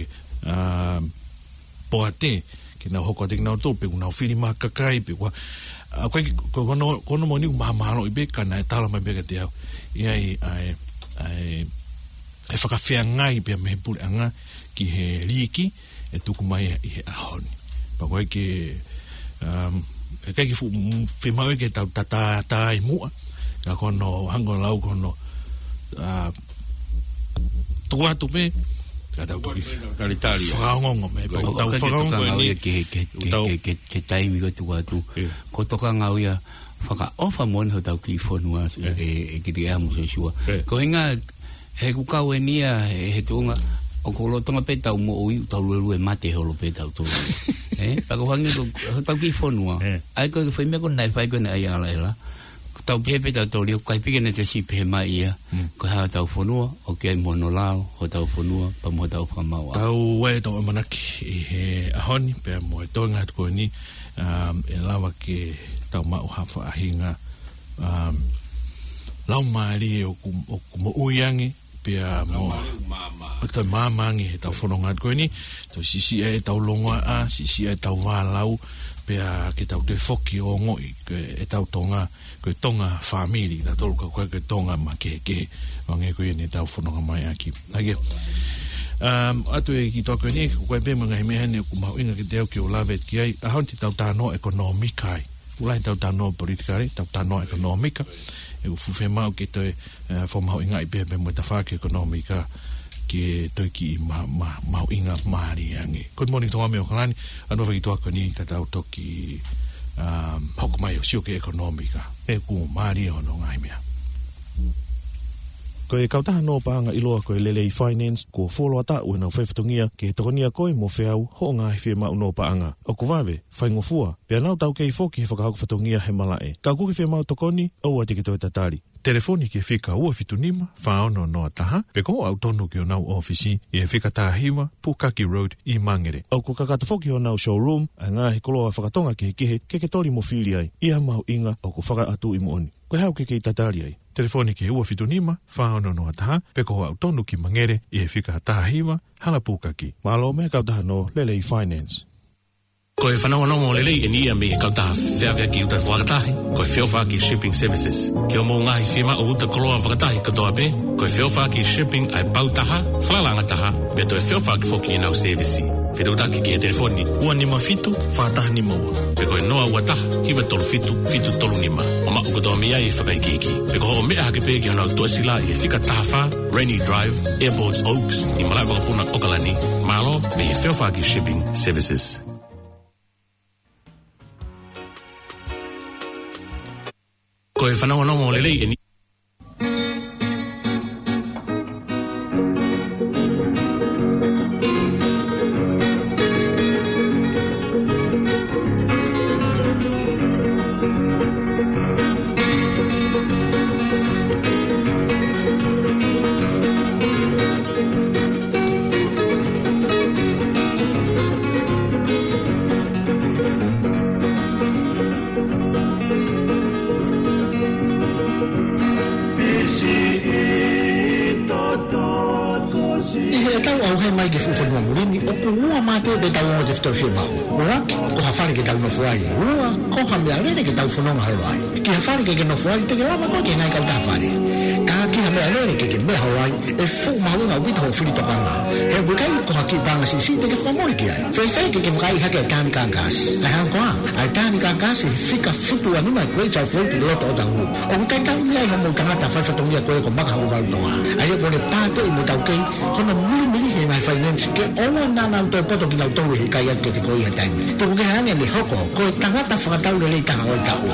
ā, poate, ke nau hoko atu kinautolu, pe ʻoku nau fili mai ha kakai, pe ko e hā, ʻa, ko e, ko, ko hono, ko hono moʻoni ʻoku mahamahalo ʻi pē ka naʻe tala mai pē kiate au. ʻI ai, ʻa e, ʻa e, ʻe fakafeangai pea mei he puleʻanga ki he liiki, ʻe tuku mai ʻi he ʻaho ni. Pea ʻoku ʻikai ke, um, ʻe ʻikai ke fu-, m-, fiemaʻu ke tau tātātā ʻi muʻa. Ka ko hono, hangē ko e lau ko hono, ā, tuku atu pē, ka tau toki talitali. Fakaongoongo mai, pea ʻoku tau fakaongoongo eni. Ke, ke, ke, ke, ke taimi ko e tuku atu. Ko e tokanga au ia fakaʻofa moʻoni hotau kiʻi fonua, ē, ʻe, ʻe Kitiʻea mo Siosiua. Ko e ʻuhinga, he ʻoku kau eni ia, he, he tuʻunga, ʻoku lolotonga pē tau moʻui, tau luelue mate holo pē tautolu. Ē, pea ʻoku hangē ko, hotau kiʻi fonua. ʻA ia ko e foʻi meʻa ko ē naʻe fai ko ē ʻe Alaela. Tau pehē pē tau tō lio, kai pike ne te si pehē mai ia. Mm. Ko e hā hotau fonua, ʻoku ʻi ai mo hono lao hotau fonua, pea mo hotau fakamaau. Tau ʻai ʻetau ʻamanaki ʻi he ʻaho ni, pea mo e toenga atu ko eni, um, ʻe lava ke tau maʻu ha faʻahinga, um, laumālie ʻoku, ʻoku moʻui ange, pea mo, ʻoku toe māmā ange ʻetau fononga atu ko eni, toe siʻisiʻi ʻetau longoaʻa, siʻisiʻi ʻetau vālau, pea ke tau toe foki ʻo ongoʻi, ko ʻetau Tonga, ko e Tonga fāmili, na tolu ka ko e Tonga makehekehe, ʻo hangē ko ia ne tau fononga mai ʻaki. Hangē, um, atu e ki toa ko eni, ko e pē mo e ngaahi meʻa heni ʻoku mahuʻinga kiate au ke u lave ki ai, ʻaho ni te tau talanoa ʻekonōmika ai. ʻOku lahi ʻetau talanoa politikale, ʻetau talanoa ʻekonōmika, ʻoku fuʻu fiemaʻu ke toe, eh, fakamahuʻingaʻi pē pea mo e tafaʻaki ʻekonōmika ke toe kiʻi ma-, ma-, mahuʻingamālie ange. Good morning, Tonga mei ʻAokalani, ʻanua fai ki toa ko eni ka tau toki, um, hoko mai ʻo sio ki he ʻekonōmika. ʻOku mālie hono ngaahi meʻa. Ko e kautaha nō paʻanga ʻiloa ko e Lelei Finance, kuo fuoloa taʻu ʻenau faifatongia ke tokonia koe mo feau hoʻo ngaahi fiemaʻu nō paʻanga. ʻOku vave, faingofua, pea nau taukei foki he fakahoko fatongia he malaʻe. Ka ʻoku ke fiemaʻu tokoni, ʻoua te ke toe tatali. Telefoni ki he fika ua fitu nima, fā ono noa taha, pe ko hoʻo aʻu tonu ki honau ʻōfisi, ʻi he fika taha hiva, Pukaki Road, ʻi Mangere. ʻOku kakato foki honau showroom, ʻa e ngaahi koloa fakatonga kehekehe, ke ke toli mo fili ai, ʻi ha mahuʻinga ʻoku fakaʻatuʻi moʻoni. Ko e hā ʻoku ke kei tatali ai? Telefoni ki he ua fitu nima, fā ono noa taha, pe ko hoʻo aʻu tonu ki Mangere, ʻi he fika taha hiva, Hala Pukaki. Mālō mei he kautaha nō Lelei Finance. Ko e fanongonongo lelei eni ia mei he kautaha feʻaveʻaki uta fakatahi, ko e Feʻofaʻaki Shipping Services. Ki hoʻomou ngaahi fiemaʻu uta koloa fakatahi kotoa pē, ko e Feʻofaʻaki Shipping ʻa e pau taha, falalaʻanga taha, pea toe feʻofaʻaki foki ʻenau sēvisi. Fetuʻutaki ki he telefoni ua nima fitu, fā taha nima ua. Pe ko e noa ua taha, hiva tolu fitu, fitu tolu nima. ʻO maʻu kotoa mei ai e fakaikiiki. Pe ko hoʻo meʻa hake pē ki honau tuʻasila ʻi he fika taha fā, Rainy Drive, Airport Oaks, ʻi malaʻe vakapuna ʻAokalani. Mālō mei he Feʻofaʻaki Shipping Services. Ko e fanongonongo lelei eni. ʻI heʻetau ʻauhē mai ki he fuʻu fonua muli ni, ʻoku ua mate pē ʻetau ongo tefitoʻi fiemaʻu. ʻUluaki, ko ha fale ke tau nofo ai. Ua, ko ha meʻalele ke tau fononga holo ai. Ki ha fale ke ke nofo ai, te ke lava koe ke nai kau taha fale. Ka ki ha meʻalele ke ke meʻa holo ai, ʻe fuʻu mahuʻinga ʻaupito hoʻo fili tokanga. He ʻoku ʻikai ko ha kiʻi paʻanga siʻisiʻi te ke fakamole ki ai. Fēfē ke ke vakaiʻi hake e Tānika Gas? ʻA e hā koā? ʻA e Tānika Gas he fika fitu ua nima Great South Road ʻi loto ʻOtahuhu. ʻOku talitali mei ai hoʻomou tangata faifatongia ko ē ko Maka Hokovalu Tonga. ʻA ia ko ʻene pāteʻi mo taukei, ko hono milimili he ngaahi finance ke ʻoua naʻa nau toe poto kinautolu he ʻikai atu kiate koe ʻi ha taimi. Tuku kehe ange ʻene hoko ko e tangata fakatau lelei taha ʻo e taʻu.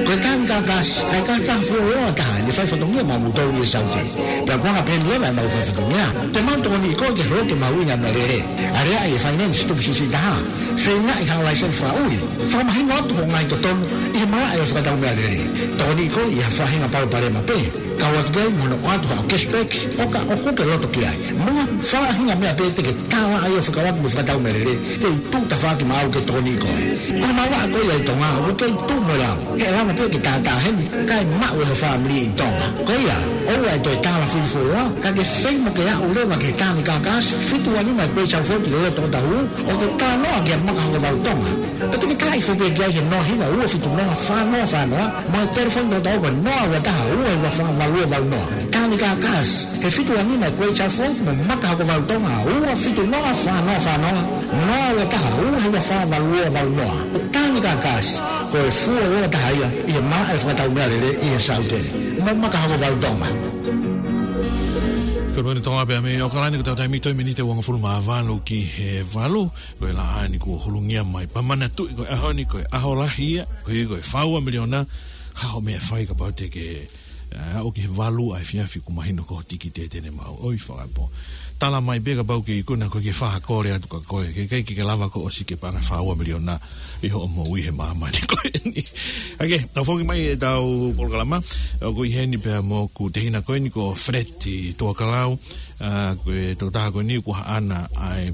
Ko e Tānika Gas, ʻa e kautaha fuoloa taha ʻene faifatongia maʻamoutolu ʻi he Saute. Pea ko e anga pehē ni leva ʻemau faifatongia, te mau tokoniʻi koe ke holo ke mahuʻinga e meʻalele. Aleaʻi e finance tupu siʻisiʻi taha. Feingaʻi haʻo laiseni fakaʻuli. Fakamahino atu hoʻo ngaahi totonu ʻi he malaʻe ʻo e fakatau meʻalele. Tokoniʻi koe ʻi ha faʻahinga palopalema pē. Kau atu ki ai mo hono ʻoatu haʻo cashback, ʻo ka ʻoku ke loto ki ai. Mo ha faʻahinga meʻa pē te ke tālaʻa ai ʻo fekauʻaki mo e fakatau meʻalele, te u tuʻu tafaʻaki maʻau ke tokoniʻi koe. Ko e māvaʻa ko ia ʻi Tonga, ʻoku kei tuʻu mo e lau. He ʻe lava pē ke tātā heni, kae maʻu ʻe ho fāmili ʻi Tonga. Ko ia, ʻoua ʻe toe tālafili fuoloa, ka ke feinga ke aʻu leva ki he Tānika Gas, fitu ua nima Great South Road ʻi loto ʻOtahuhu, ʻo ke talanoa kia Maka Hokovalu Tonga. Pea te ke tala hifo pē ki ai he noa hiva ua fitu noa fā noa fā noa, mo e telefoni toko taha ko e noa ua taha ua hiva fā valu ua valu noa. Tānika Gas, he fitu ua nima Great South Road mo Maka Hokovalu Tonga, ua fitu noa fā noa fā noa, noa ua taha ua hiva fā valu ua valu noa. Tānika Gas, ko e fuoloa taha ia ʻi he malaʻe fakatau meʻalele ʻi he Saute mo Maka Hokovalu Tonga. Ko e mene Tonga pea mei ʻAokalani, ko ʻetau taimi toe miniti ʻe uangofulu mā valu ki he valu. Ko e laʻā ni kuo hulungia mai. Pea manatuʻi ko e ʻaho ni, ko e ʻaho lahi ia, ko e, ko e fā ua miliona, hā hoʻo meʻa ʻe fai kapau te ke ʻA, ʻo ki he valu ʻa e efiafi kuo mahino ko e tikite te ne maʻu. ʻOi, fakapo. Tala mai pē kapau ʻoku ke ikuna ko e ke fakakole atu kia koe. Ke, ke, ke, ke lava ko ʻosi ke paʻanga fā ua miliona ʻi hoʻo moʻui he māmani ko eni. ʻAke, tau foki mai ʻetau polokalama. ʻOku ʻi heni pea mo hoku tehina ko eni ko Feleti Tuakalau. ʻA, ko e tokotaha ko eni ʻoku ʻi ai ʻa e,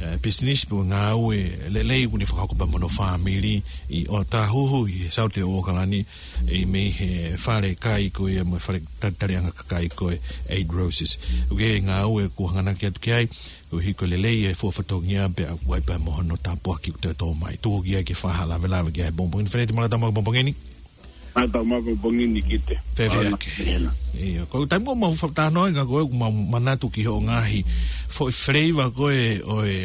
ʻe, pisinisi pe ngāue lelei ʻoku ne fakahoko pea mo hono fāmili ʻi ʻOtahuhu ʻi he Saute ʻo ʻOkalani, ʻi mei he fale kai ko ia mo e fale talitaliʻanga kakai ko e Eight Roses. ʻOku ʻi ai e ngāue ʻoku hanganaki atu ki ai, ʻoku ʻi ai ko e lelei e fuʻu fatongia pea ʻoku ʻi ai pea mo hono tāpuaki ʻoku toe tō mai. Tuku ki ai ke fakalavelave ki ai he pongipongi ni. Feleti, mālō e tau maʻu e pongipongi ni. Mālō e tau maʻu e pongipongi ni Kite. Fēfē ʻAna ʻAke? Hena. ʻIo, ko e taimi ʻoku mau fa-, talanoa ai ka ko e ʻoku mau manatu ki hoʻo ngaahi foʻi flavor ko ē ʻo e,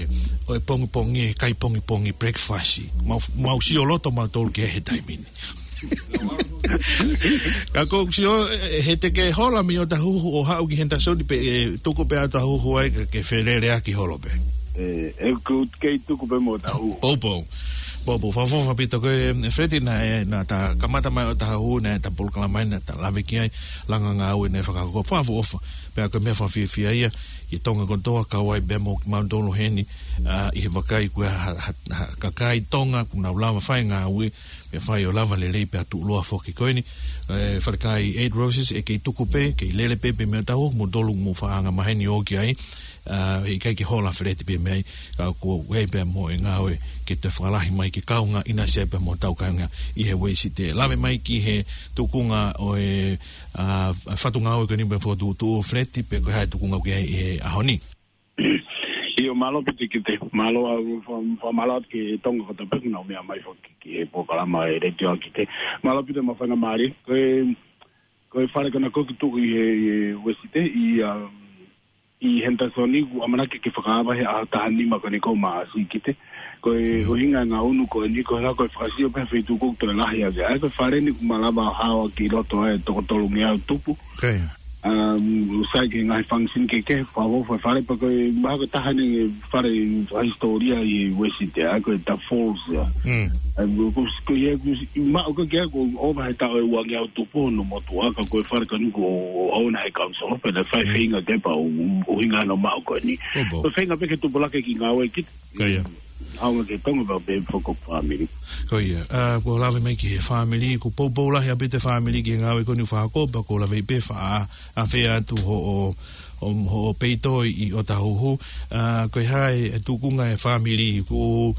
ʻo e pongipongi, e kai pongipongi breakfast. Mau, mau sio loto mautolu ki he taimi ni. Ka ko e sio, ʻe, ʻe, he te ke hola mei ʻOtahuhu ʻo haʻu ki Henderson pe, ʻe, tuku pē ʻa ʻOtahuhu ai ka ke feleleʻaki holo pē. ʻE, ʻe, ʻoku kei tuku pē mei ʻOtahuhu. Poupou. Poupou, fakaʻofoʻofa ʻaupito ko e, ʻe, Feleti, naʻe, naʻa ta kamata mai ʻOtahuhu, naʻa ta polokalama mai, naʻa ta lave ki ai, langa ngāue naʻe fakahoko, fakaʻofoʻofa. Pea ko e meʻa fakafiefia ia, ʻi Tonga kotoa, kau ai pea mo kimautolu heni, ʻa, ʻi he vakai ko e ha, ha, ha, kakai Tonga, ʻoku nau lava fai ngāue, pea fai ʻo lava lelei pea tuʻuloa foki ko eni. ʻE, fale kai Eight Roses, ʻe kei tuku pē, kei lele pē pē mei ʻOtahuhu, mo tolu mo faʻa anga maheni ʻo ki ai. ʻA, ʻe ʻikai ke hola Feleti pē mei ai, ka ʻoku ʻi ai pea mo e ngāue ke toe fakalahi mai ke kaunga ʻinasi ai pea mo hotau kāinga ʻi he Uēsite. Lave mai ki he tukunga ʻo e, ʻa, fatu ngāue ko eni pea fokotuʻutuʻu Feleti pe ko e hā e tukunga ʻoku ʻi ai he ʻaho ni. ʻIo, mālō ʻaupito Kite, mālō ʻa, fa-, fa-, mālō atu ki Tonga kotoa pē ʻoku nau meʻa mai foki ki he polokalama ʻa e letiō ʻa Kite. Mālō ʻaupito mo e faingamālie. Ko e, ko e fale ko ena ʻoku kei tuʻu ʻi he, ʻi he Uēsite, ʻi, ʻa, ʻi Henderson ʻoku ʻamanaki ke fakaava he ʻaho taha nima ko eni ʻo Maʻasi Kite. Ko e ʻuhinga e ngaʻunu ko eni ko e ʻuhinga ko e fakasio pē he feituʻu ʻoku toe lahi ange. ʻA ia ko e fale ni ʻoku malava ʻo haoʻi ʻi loto ai toko tolungeau tupu. ʻOku sai ki he ngaahi function kehekehe, fakaʻofoʻofa e fale pea ko e mahalo ko e taha eni e fale fakahisitōlia ʻi Uēsite, ʻa ia ko e The Falls ia. ʻA ia ko, ko ia ʻoku maʻu ko ē ke ʻoku ʻova he taʻu ʻe uangeau tupu hono motuʻa, ka ko e fale ko eni ʻoku ʻouna he council, pea naʻe fai feinga ke pau, ʻuhinga hono maʻu ko eni. Ko e feinga pē ke tupulaki e kiʻi ngāue Kite. ʻAonga ki Tonga pea pehē foki ki he fāmili. Ko ia, ʻa, kuo lave mai ki he fāmili, ʻoku poupou lahi ʻaupito e fāmili ki he ngāue ko eni ʻoku fakahoko, pea ʻoku lave pē faʻa, ʻa, fai atu hoʻo, hoʻo, hoʻo peito ʻi ʻOtahuhu, ʻa, ko e hā e tukunga e fāmili, ʻoku,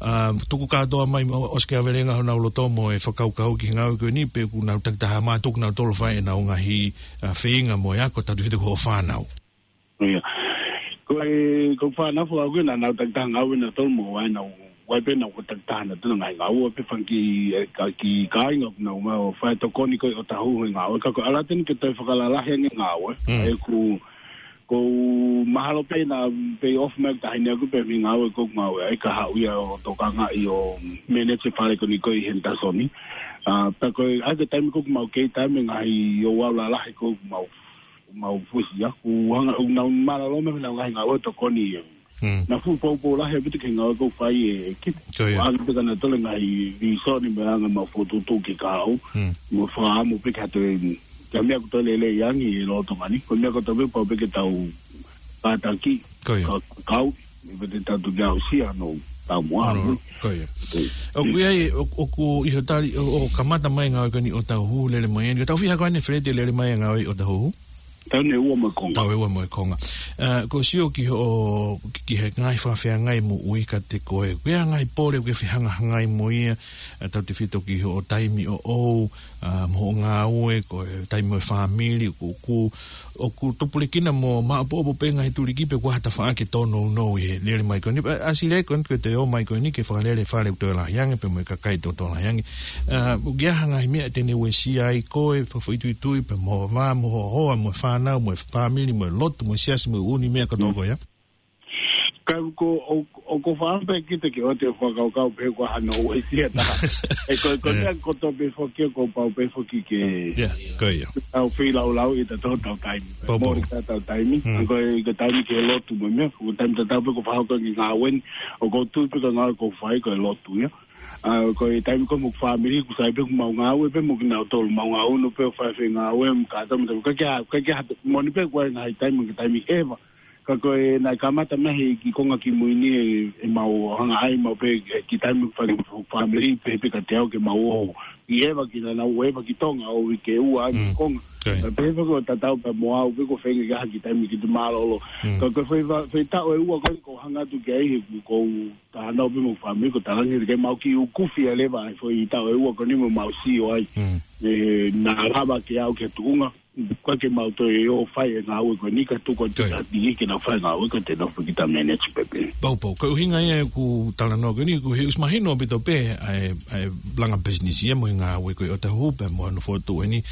ʻa, tuku kātoa mai, ʻo, ʻosi ke ʻavelenga honau loto mo e fakakaukau ki he ngāue ko eni, pe ʻoku nau takitaha mātuku nau tolo fai ʻenau ngaahi, ʻa, feinga mo e ako, tautefito ki hoʻo fānau. ʻIo. Ko e, ko e fānau fakaʻuhinga naʻa nau takitaha ngāue nautolu mo ʻenau, ʻoku ʻi ai pē ʻenau ko e takitaha nautolu ngaahi ngāue pē fanga kiʻi, ʻe, ka kiʻi kāinga ʻoku nau ō mai ʻo fai tokoni ko ē ʻi ʻOtahuhu he ngāue. Ka ko e ʻalu atu eni ke toe fakalalahi ange e ngāue. ʻOku, ʻoku mahalo pē naʻa pay off mai e taʻahine ʻaʻaku pē mei he ngāue ʻoku ngāue ai ka haʻu ia ʻo tokangaʻi ʻo manage e fale ko eni ko ē ʻi Henderson. ʻA, pea ko e, ʻa ia ko e taimi ko ē ʻoku mau kei taimi ngaahi ʻo ʻalu lalahi ko ē ʻoku mau mau fusi aku, anga, ʻoku nau mālōlō mai ʻenau ngaahi ngāue tokoni. Naʻe fuʻu poupou lahi ʻaupito ki he ngāue ʻoku fai ʻe Kite. Ko ia. ʻOku ʻi ai pē kinautolu e ngaahi vīsone mo e anga mau fokotuʻutuʻu ke kau. Mo fakaʻamu pē ke toe, ke meʻa ʻoku toe lelei ange ʻi he lolotonga ni. Ko e meʻa kotoa pē pau pē ke tau kātaki. Ko ia. Ka, kau. ʻI he pē te tau tuki au sia no tau moa. Ko ia. ʻOku ʻi ai, ʻo, ʻoku ʻi hoʻo tali, ʻo, ʻo kamata mai e ngāue ko eni ʻi ʻOtahuhu lele mai eni. Ko e taʻu fiha ko eni Feleti lele mai e ngāue ʻi ʻOtahuhu? Taʻu ʻe ua mo e konga. Taʻu ʻe ua mo e konga. ʻA, ko e sio ki hoʻo, ki, ki he ngaahi fakafeangai moʻui kiate koe. Ko e hā e ngaahi pole ʻoku ke fehangahangai mo ia, ʻa, tautefito ki hoʻo taimi ʻoʻou, ʻa, mo hoʻo ngāue, ko e taimi mo e fāmili, ʻoku, ʻoku, ʻoku tupulekina mo maʻopoʻopo pē ngaahi tuliki pe ʻoku ʻi ai ha tafaʻaki ʻe tōnounou ʻi he lele mai ko eni. ʻA, ʻasi leva ko eni ko e toe ō mai ko eni ke fakalele fale ʻoku toe lahi ange, pea mo e kakai ʻoku toe lahi ange. ʻA, ʻoku ʻi ai ha ngaahi meʻa te ne uesia ai koe, fakafoʻituitui, pea mo e vā, mo e hoa, mo e fānau, mo e fāmili, mo e lotu, mo e siasi, mo e ʻū meʻa kotoa ko ia. Ka ko, ʻo, ʻoku ou fakaʻamu pē Kite ke ʻoua te u fakakaukau pe ko e hā hono uesia taha. ʻE ko, ko e meʻa kotoa pē foki, kuo pau pē foki ke tau feilaulau ʻi he tau taimi. Mole ka tau taimi. Ko e, ko e taimi ke lotu mo e meʻa, ko e taimi tatau pē ʻoku ou fakahoko e ngāue ni, ʻoku ou tui pē ko e ngāue ʻoku ou fai ko e lotu ia. ʻA, ko e taimi ko ē mo e fāmili, ʻoku sai pē ʻoku mau ngāue pē mo kinautolu, mau ngāue ʻo pē ʻo fai e ngāue, mo kātaki mo tau, ʻikai ke ʻi ai, ʻikai ke ʻi ai ha, moʻoni pē ʻoku ʻi ai e ngaahi taimi, ngaahi taimi ʻeva. Ka ko e naʻe kamata mei he kiʻi konga kimui ni ʻe, ʻemau hanga ai, mau pehē, ʻe, kiʻi taimi fai mo e fāmili, pehē pē kiate au ke mau ō. ʻI ʻeva ki naʻa nau ō ʻeva ki Tonga ʻo uike ua ʻi he konga. Ka pehē pē ko e tatau pē mo au pē ko e feinga ke ʻi ai ha kiʻi taimi ke te mālōlō. Ka ko e fai, fai, fai taʻu ʻe ua ko ē ʻoku ou hanga atu ki ai he ʻoku ou talanoa pē mo e fāmili, ʻoku ou talaange ke mau kiʻi ukufi ʻa e leva ʻa e foʻi taʻu ʻe ua ko eni mo mau sio ai. ʻE, naʻa lava ke aʻu ki he tuʻunga, ʻikai ke mau toe ō ʻo fai e ngāue ko eni ka tuku atu ki he ʻapi ke nau fai e ngāue ka te nau fakita manage pē pē. Pau, pau. Ko e ʻuhinga ia ʻeku talanoa ko eni, ko e ʻuhi ʻoku mahino ʻaupito pē ʻa e, ʻa e langa business ia mo e ngāue ko ē ʻo Tahuhu pea mo hono fokotuʻu eni.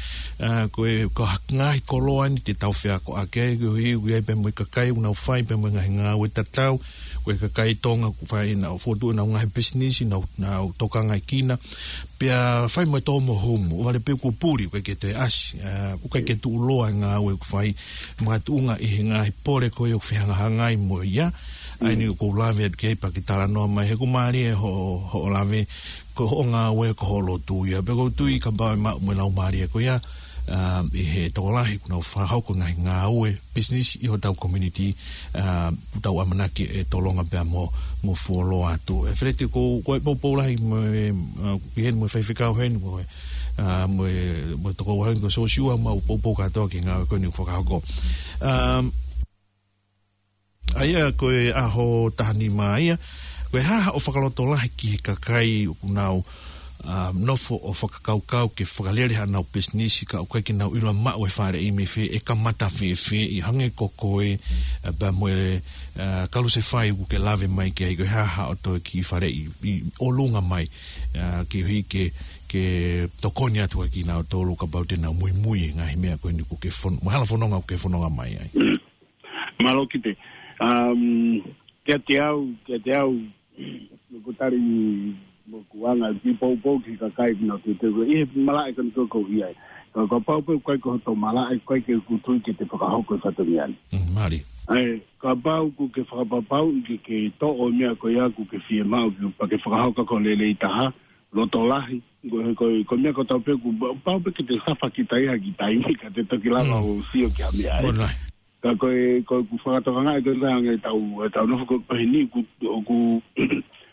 ʻA, ko e, ko e ngaahi koloa ni te tau feakoʻaki ai, ko e ʻuhi ʻoku ʻi ai pē mo e kakai ʻoku nau fai pē mo e ngaahi ngāue tatau, ko e kakai Tonga ʻoku fai ʻenau fokotuʻu ʻenau ngaahi business, nau, nau tokangaʻi kina, pea fai mo e tō mo humu, ʻo vale pē kuo puli, ʻoku ʻikai ke toe ʻasi, ʻa, ʻoku ʻikai ke tuʻuloa e ngāue ʻoku fai, makatuʻunga ʻi he ngaahi pole ko ē ʻoku fehangahangai mo ia, ʻa eni ʻoku ou lave atu ki ai pea ke talanoa mai, he ʻoku mālie hoʻo, hoʻo lave, ko hoʻo ngāue ko hoʻo lotu ia, pea ʻoku ou tui kapau ʻe maʻu mo e laumālie ko ia, ʻa, ʻi he tokolahi ʻoku nau fakahoko e ngaahi ngāue, business ʻi hotau community, ʻa, ʻoku tau ʻamanaki ʻe tolonga pea mo, mo fuoloa atu. ʻE Feleti, ko, ko e poupou lahi mo e, ʻa, ki heni mo e faifekau heni mo e, ʻa, mo e, mo e tokoua heni ko Sosiua, mau poupou kātoa ki he ngāue ko eni ʻoku fakahoko. ʻA, ʻa ia ko e ʻaho taha nima ia, ko e hā haʻo fakalotolahi ki he kakai ʻoku nau, ʻa, nofo ʻo fakakaukau ke fakalele haʻanau pisinisi ka ʻoku ʻikai ke nau ʻilo maʻu e faleʻi mei fē, ʻe kamata fēfē, ʻi hangē ko koe, ʻa, pea mo e, ʻa, Kalusefai ʻoku ke lave mai ki ai, ko e hā haʻo toe kiʻi faleʻi ʻi ʻolunga mai, ʻa, ke ʻuhi ke, ke tokoni atu ai kinautolu kapau te nau muimui he ngaahi meʻa ko eni ʻoku ke fon-, mo e hala fononga ʻoku ke fononga mai ai. Mālō Kite. Um, kiate au, kiate au, ʻoku tali mo ʻeku anga, kiʻi poupou ki he kakai ʻoku nau teuteu ʻi he malaʻe ko eni ʻoku ou ʻi ai. Ka, kapau pē ʻoku ʻikai ko hoto malaʻe, ʻoku ʻikai ke u tui ke te fakahoko e fatongia ni. Mm, mālie. ʻAi, kapau ʻoku ke fakapapauʻi ke, ke toʻo e meʻa ko ia ʻoku ke fiemaʻu, ke, pea ke fakahoko ko e lelei taha, loto lahi, ko, ko, ko e meʻa kotoa pē ʻoku pau pē ke te suffer kita ʻi ha kiʻi taimi, ka te toki lava ʻo sio ki ha meʻa, ē. Ka ko e, ko ʻeku fakatokangaʻi ko e hangē ʻetau, ʻetau nofo ko, ko eni ʻoku, ʻoku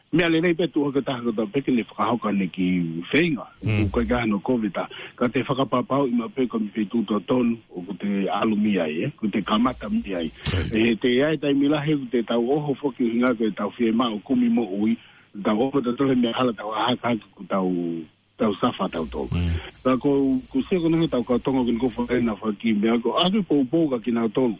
meʻa lelei pē tuʻu hake taha kotoa pē ke ne fakahoko ʻene kiʻi feinga. ʻOku ʻikai ke ʻi ai hano kovita. Ka te fakapapauʻi maʻu pē ko e meʻa feituʻu totonu ʻoku te ʻalu mei ai, ē, ʻoku te kamata mei ai. ʻE, te ʻi ai e taimi lahi ʻoku te tau ʻoho foki ʻuhinga ko ʻetau fiemaʻu kumi moʻui, tau ʻoho tautolu he meʻa hala tau ʻā hake ʻoku tau, tau suffer tautolu. Ka ko, ʻoku ou sio ko eni ʻetau kau Tonga ko eni ʻoku fai ʻenau fakakiʻi meʻa ko e ʻoatu e poupou kia kinautolu.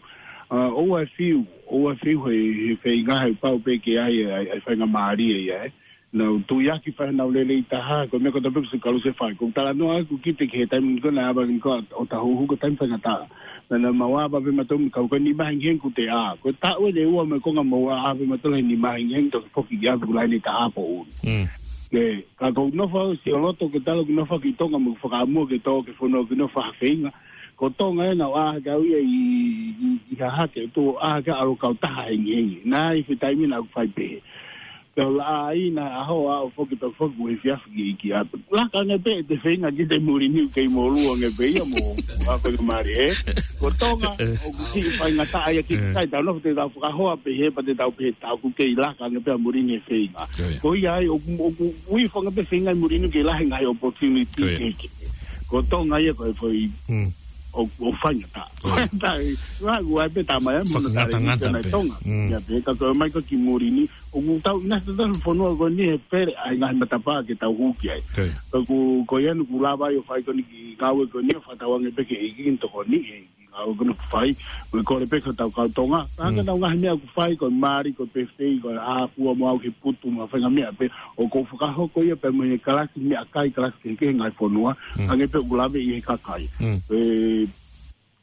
ʻA, ʻoua ʻe fiu, ʻoua ʻe fiu he, he feinga he pau pē ke ʻi ai, ʻai, ʻai faingamālie ia, ē. Nau tuiaki fai ʻenau lelei taha, ko e meʻa kotoa pē ʻoku Sīsū Kalusefai. ʻOku ou talanoa ʻeku kite ki he taimi ko ē naʻe ava eni ko ē ʻo Tahuhu ko e taimi faingataʻa. Naʻa mau ava pē mautolu mei he kau ko e nima hengihengi ʻoku te ʻā. Ko e taʻu ʻeni ʻe ua mo e konga mau ʻā pē mautolu he nima hengihengi toki foki ki ʻapi ʻoku lahi ʻene taha poʻuli. ʻE, ka ʻoku ou nofo au ʻo sio loto ke tala ʻoku ou nofo au ki Tonga mo ʻeku fakaʻamu ke tō ki he fonua ʻoku ou nofo ʻo feinga. Ko Tonga ē naʻa ku ʻā hake au ia ʻi, ʻi, ʻi Hahake, ʻo ʻā hake au ʻalu kau taha hengihengi. Naʻe ʻi ai e taimi naʻa ku fai pehē. Pea u laʻā ai ʻi ha ʻaho ʻo aʻu foki pea foki he efiafi ki, ki ʻapi. Laka ange pē ʻete feinga ki he muli ni ʻoku kei mōlua ange pē ia mo, mo e faingamālie, ē. Ko Tonga, ʻoku siʻi faingataʻa ia ki he kakai, tau nofo te tau fakahoa pehē, pea te tau pehē tau ʻoku kei laka ange pē ʻa muli ni he feinga. Ko ia ai, ʻoku, ʻoku, ʻoku ʻi ai e fanga pē feinga ʻi muli ni ʻoku kei lahi e ngaahi opportunity kehekehe. Ko Tonga ia ko e foʻi ʻo, ʻo faingataʻa. Ko ia. Ua, ua pē tamai, ē, mo e tali ni tena pē. Ia pē, ka ko e ʻomai ko ē ki muli ni, ʻoku tau ʻinasi tautolu he fonua ko eni he pele ʻa e ngaahi matapā ke tau hū ki ai. Ka ko, ko ia naʻa ku lava ai ʻo fai ko eni kiʻi ngāue ko eni ʻo fakatauange pē ke ʻEiki ke ne tokoniʻi e kiʻi ngāue ko eni ʻoku fai, mo e kole pē ki hotau kau Tonga. Ka hangē ʻenau ngaahi meʻa ʻoku fai, ko e mali, ko e pēfē, ko e ʻā fua mo au ki he putu, mo e faʻahinga meʻa pē, ʻoku ou fakahoko ia pē mo e kalasi meʻakai, kalasi kehekehe he ngaahi fonua, hangē pē ʻoku lave ʻi he kakai. ʻE,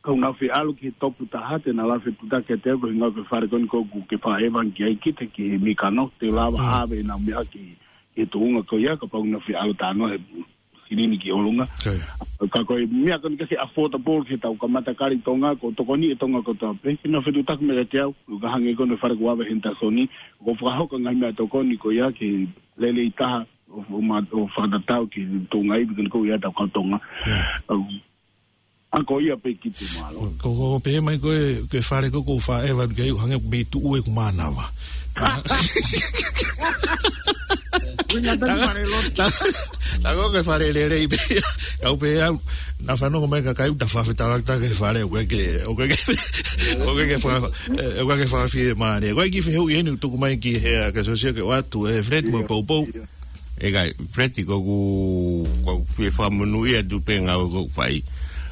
ka ʻoku nau fie ʻalu ki he topu taha, te nau lave fetuʻutaki kiate au, ko e ʻuhinga ko e fale ko eni ʻoku ke fakaʻevangelising ki he mikano, te lava ʻave ʻenau meʻa ki, ki he tuʻunga ko ia, kapau ʻoku nau fie ʻalu talanoa he silini ki ʻolunga. Ka ko e meʻa ko eni ke se affordable ke tau kamata kali Tonga, ʻoku tokoni e Tonga kotoa pē, ke nau fetuʻutaki mai kiate au, ʻo ka hangē ko eni e fale ko ē ʻoku ʻave ʻe Henderson, ʻoku ou fakahoko e ngaahi meʻatokoni ko ia ke lelei taha, ʻo, ʻo ma-, ʻo fakatatau ki he tuʻunga ivi ko eni ʻoku ʻi ai ʻetau kau Tonga. ʻA, ako ia pē ki te malo. Ko, ko, ko pehē mai ko e, ko e fale ko ē ʻoku ou fāʻeva ki ai ʻoku hangē ʻoku mei tuʻu ʻeku mānava. Uinga tani fale lotu. Ta, ta, ta ko e fale lelei pē. Kau pē au, naʻa fanongo mai kakai ʻoku ta fafetalatala ki he fale, ʻoku ʻikai ke, ʻoku ʻikai ke, ʻoku ʻikai ke fa-, eh, ʻoku ʻikai ke fafie mane. Ko e kiʻi fehuʻi eni ʻoku tuku mai ki he, ʻa, ke sosio ke ʻoatu, eh, Fred mo Poupou. ʻIkai, Fred, ʻoku ou, ʻoku ou fie fakamonūʻia atu pē ngāue ʻoku fai.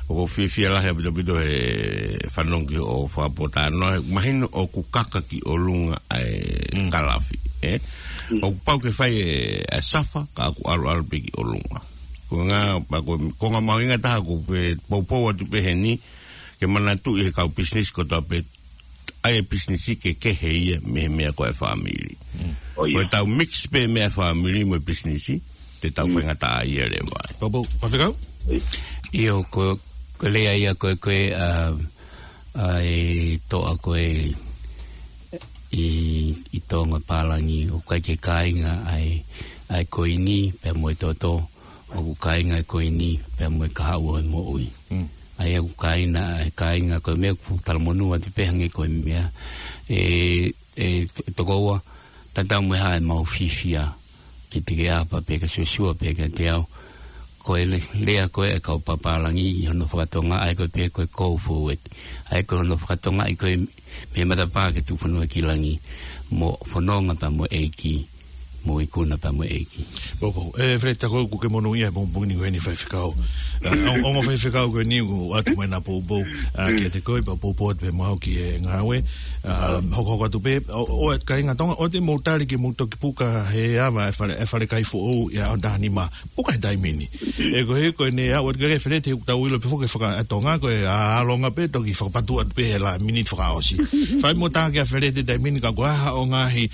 ʻOku ou fiefia lahi ʻaupito ʻaupito he fanongo ki hoʻo fakapōtalanoa. Mahino ʻoku kaka ki ʻolunga ʻa e kalafi, ē? ʻOku pau ke fai e, ʻa e safa, ka ʻoku ʻalu ʻalu pē ki ʻolunga. Ko e ngā, pea ko, ko e ngaahi mahuʻinga taha ʻoku ou poupou atu pē heni, ke manatuʻi he kau pisinisi kotoa pē, ʻa e pisinisi kehekehe ia mei he meʻa ko e fāmili. ʻO ia. Ko e tau mix pē meʻa fāmili mo e pisinisi, te tau faingataʻaʻia leva ai. Poupou, Faifekau? ʻIo, ko, ko e lea ia ko ē, ko e, ʻa, ʻa e toʻa ko ē ʻi, ʻi Tonga pālangi, ʻoku ʻikai ke kāinga ʻa e, ʻa e koini, pea mo e toto, ʻoku kāinga e koini, pea mo e kahaʻu ʻo e moʻui. ʻA ia ʻoku kāinga, ʻa e kāinga ko e meʻa ʻoku talamonū atu pē hangē ko e meʻa. ʻE, ʻe, tokoua, tatau mo e hā ʻemau fiefia, ki te ke ʻapa pē ka sosua pē ka te au. Ko e le-, lea ko ē ʻa e kau papālangi ʻi hono fakatonga, ʻa ia ko e pē ko e go forward. ʻA ia ko hono fakatonga ʻi ko e mei he matapā ke tuku fonua ki langi. Mo fononga pea mo e ʻEiki. Mo ikuna pea mo e ʻEiki. Poupou. ʻE, Fred, tā ko ē ʻoku ke monūʻia he pongipongi ni ko eni Faifekau. ʻA, ongo, ongo Faifekau ko eni ʻoku ʻoatu mai ʻena poupou. ʻA, kiate koe, pea poupou atu pē mo au ki he ngāue. ʻA, hokohoko atu pē, ʻo, ʻo, kāinga Tonga, ʻoua te mou tali ke mou toki puka he ava e fale, e falekai foʻou ʻi he ʻaho taha nima. Puka he taimi ni. ʻE ko e, ko eni ʻa, ʻoua te ke Fred, he ʻoku tau ʻilo pē foki faka-, ʻa Tonga, ko e ʻa, ʻalu ange pē, toki fakapatu atu pē he la miniti fakaʻosi. Fai mo tā kia Fred he taimi ni ka ko e hā hoʻo ngaahi,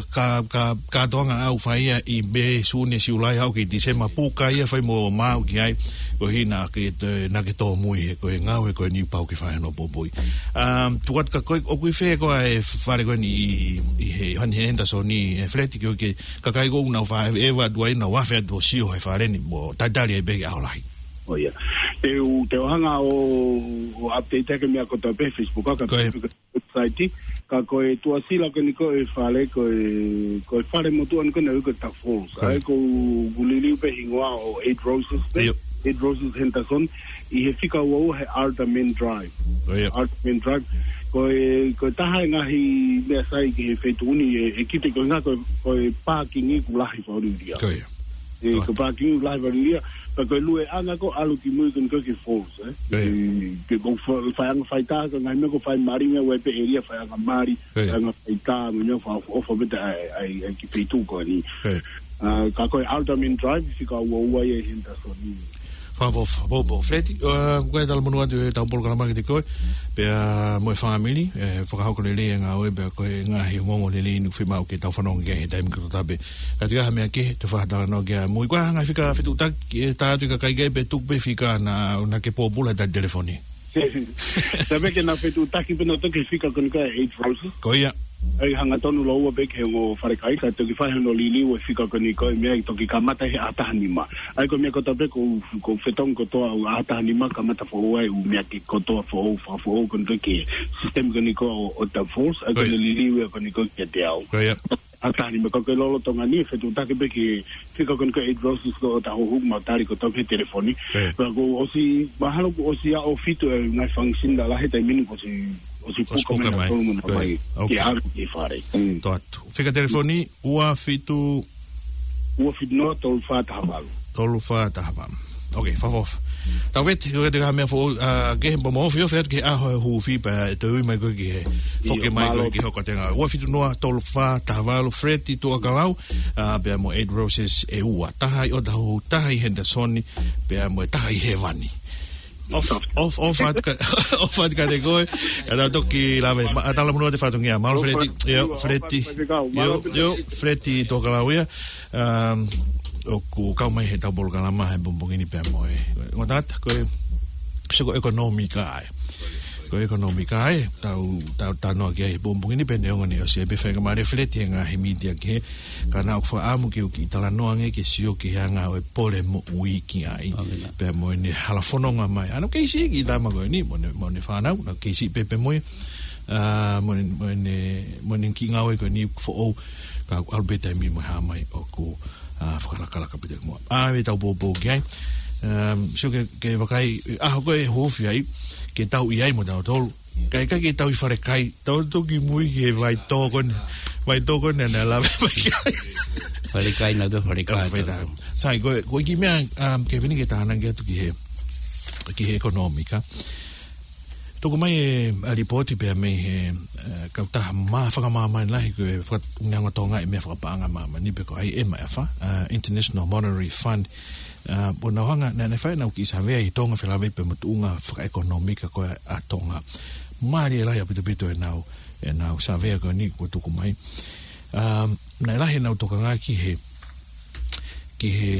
ka, ka, kātoanga ʻoku fai ia ʻi Mē, Sune, Siulai, aʻu ki Tīsema, puka ia fai mo maʻu ki ai, koeʻuhi naʻa ke, naʻa ke tōmui he ko e ngāue ko eni pau ke fai hono poupouʻi. Um, tuku atu kia koe, ʻoku ʻi fē koā e fale ko eni ʻi, ʻi he, ʻi Henderson ʻi, ʻe Fred, ki he kakai ʻoku nau fāʻeva atu ai, nau afe atu ʻo sio he fale ni mo talitali ai pē ki he ʻaho lahi. ʻO ia. Te u, te u hanga ʻo, ʻo update ʻaki e meʻa kotoa pē he Facebook, ka ko e website, ka ko e tuʻasila ko eni ko e fale, ko e, ko e fale motuʻa ni ko eni ko e Tuff Falls. Ko ia. ʻA ia ʻoku ou liliu pē hingoa ʻo Eight Roses pē. ʻIo. Eight Roses Henderson, ʻi he fika ua ua he Alderman Drive. Ko ia. Alderman Drive. Ko e, ko e taha e ngaahi meʻa sai ki he feituʻu ni ʻe, ʻe kite ko e ngā ko e, ko e pākingi ʻoku lahi fakaʻuliʻulia. Ko ia. ʻE, ko e pākingi ʻoku lahi fakaʻuliʻulia. Pea ko e lueʻanga ko e ʻalu ki mui ko eni ko e ki he falls, ē. Ko ia. ʻE, ke ʻoku fa-, faiʻanga faitā, ko e ngaahi meʻa ko e fai mali, ngā ue pē ʻēlia faiʻanga mali, ko ia, faiʻanga faitā, mo e ngaahi fakaʻofoʻofa pē ʻa e, ʻa e, ʻa e kiʻi feituʻu ko eni. Ko ia. ʻA, ka ko e Alderman Drive, fika ua ua ia ʻi Henderson. Fakaʻofoʻofa, Poupou. Fred, ʻa, ko e talamonū atu ʻetau polokalama kiate koe, pea mo e fāmili, ʻe, fakahoko lelei e ngāue, pea ko e ngaahi ongoongo lelei ʻoku fiemaʻu ke tau fanongo ki ai he taimi kotoa pē. Ka ʻi ai ha meʻa kehe, te u fakatalanoa ki ai. Mo e ko e hā e ngaahi fika fetuʻutaki, ʻe, tā atu ki he kakai kehe pea tuku pē fika naʻa, naʻa ke pōpula he tali telefoni. Tau pehē ke nau fetuʻutaki pē nautolu ki he fika ko eni ko e Eight Roses. Ko ia. ʻA ia hangatonu lōua pē ki he ongo falekai ka toki fai hono liliu e fika ko eni ko e meʻa ʻe toki kamata he ʻaho taha nima. ʻA ia ko e meʻa kotoa pē ʻoku, ʻoku fetongi kotoa ʻaho taha nima kamata foʻou ai ʻū meʻa ke kotoa foʻou, fakafoʻou ko eni ko e ki he system ko eni ko e ʻo, ʻo Tuff Falls. ʻA ia ko e, ko ia, liliu ia ko eni ko e kiate au. Ko ia. ʻAho taha nima ka ko e lolotonga ni, fetuʻutaki pē ki he fika ko eni ko e Eight Roses ko e ʻo Tahuhu, mau tali kotoa he telefoni. Ko ia. Pea kuo ʻosi, mahalo kuo ʻosi ʻaho fitu e ngaahi function lalahi he taimi ni kuo ʻosi, ʻosi puka mai. ʻOsi puka mai. Tolu mo na. Ko ia. Mai. ʻOkei. Ke ʻalu ki fale. Mm. Tō atu. Fika telefoni, ua fitu. Ua fitu noa, tolu fā taha valu. Tolu fā taha valu. ʻOkei, fakaʻofoʻofa. Tau vete, ko e te ka meʻa foʻou, ʻa, ke he pō mo ofi, ofi atu ki he ʻaho e huufi pea ʻe toe ui mai koe ki he, ʻio, foki mai mālō koe ki he hoko tenga. Ua fitu noa, tolu fā taha valu, Fred Tuʻakalau, ʻa, pea mo Eight Roses ʻe ua. Taha ʻi ʻOtahuhu, taha ʻi Henderson, pea mo e taha ʻi Hēvani. ʻOfa, ʻofa, ʻofa atu ka, ʻofa atu kiate koe. Ka tau toki lave, ma-, ʻa, talamonū atu e fatongia. Mālō Fred, ʻio, Fred, ʻio, ʻio, Fred Tuʻakalau ia. Um, ʻoku kau mai heʻetau polokalama he pongipongi ni pea mo e. Ngata atu, ko e, sio ko e ʻekonōmika ē. ko e ʻekonōmika ē, tau, tau talanoa ki ai he pongipongi ni pea neongo ʻene ʻosi ē, pea fai ka mare feleti he ngaahi mītia kehe, ka naʻá ku fakaʻamu ke u kiʻi talanoa ange ke sio ki he anga ʻo e pole moʻui ki ai. Pea mo ʻene hala fononga mai. ʻA ʻene kei siʻi kiʻi tama ko eni, mo ʻene, mo ʻene fānau, naʻá ku kei siʻi pē pea mo ia, ʻa, mo ʻene, mo ʻene, mo ʻene kiʻi ngāue ko eni foʻou, ka ʻalu pē taimi mo e hā mai ʻoku, ʻa, fakalakalaka pē taimi mo. ʻA, ʻe tau poupou ki ai. Um, sio ke, ke vakai, ʻaho ko ē ʻe huufi ai, ke tau ʻi ai mo tautolu. Ka ʻikai ke tau ʻi falekai, tau toki mui ki he vai tō ko eni, vai tō ko eni naʻe lave mai ki ai. Falekai naʻa tau falekai. Sai, ko e, ko e kiʻi meʻa, um, Kevin, ke tānaki atu ki he, ki he ʻekonōmika. Tuku mai e, ʻa, lipooti pea mei he, ʻa, kautaha mā fakamāmani lahi ko e faka-, neongo Tonga ʻi he meʻa fakapaʻanga māmani pe ko e ʻai e meʻa fa, ʻa, International Monetary Fund. ʻA, ʻo nau hanga, naʻa, naʻe fai ʻenau kiʻi savea ʻi Tonga felāveʻi pea mo e tuʻunga fakaʻekonōmika ko ē ʻa Tonga. Mālie lahi ʻaupito ʻaupito ʻenau, ʻenau savea ko eni kuo tuku mai. ʻA, naʻe lahi ʻenau tokanga ki he, ki he,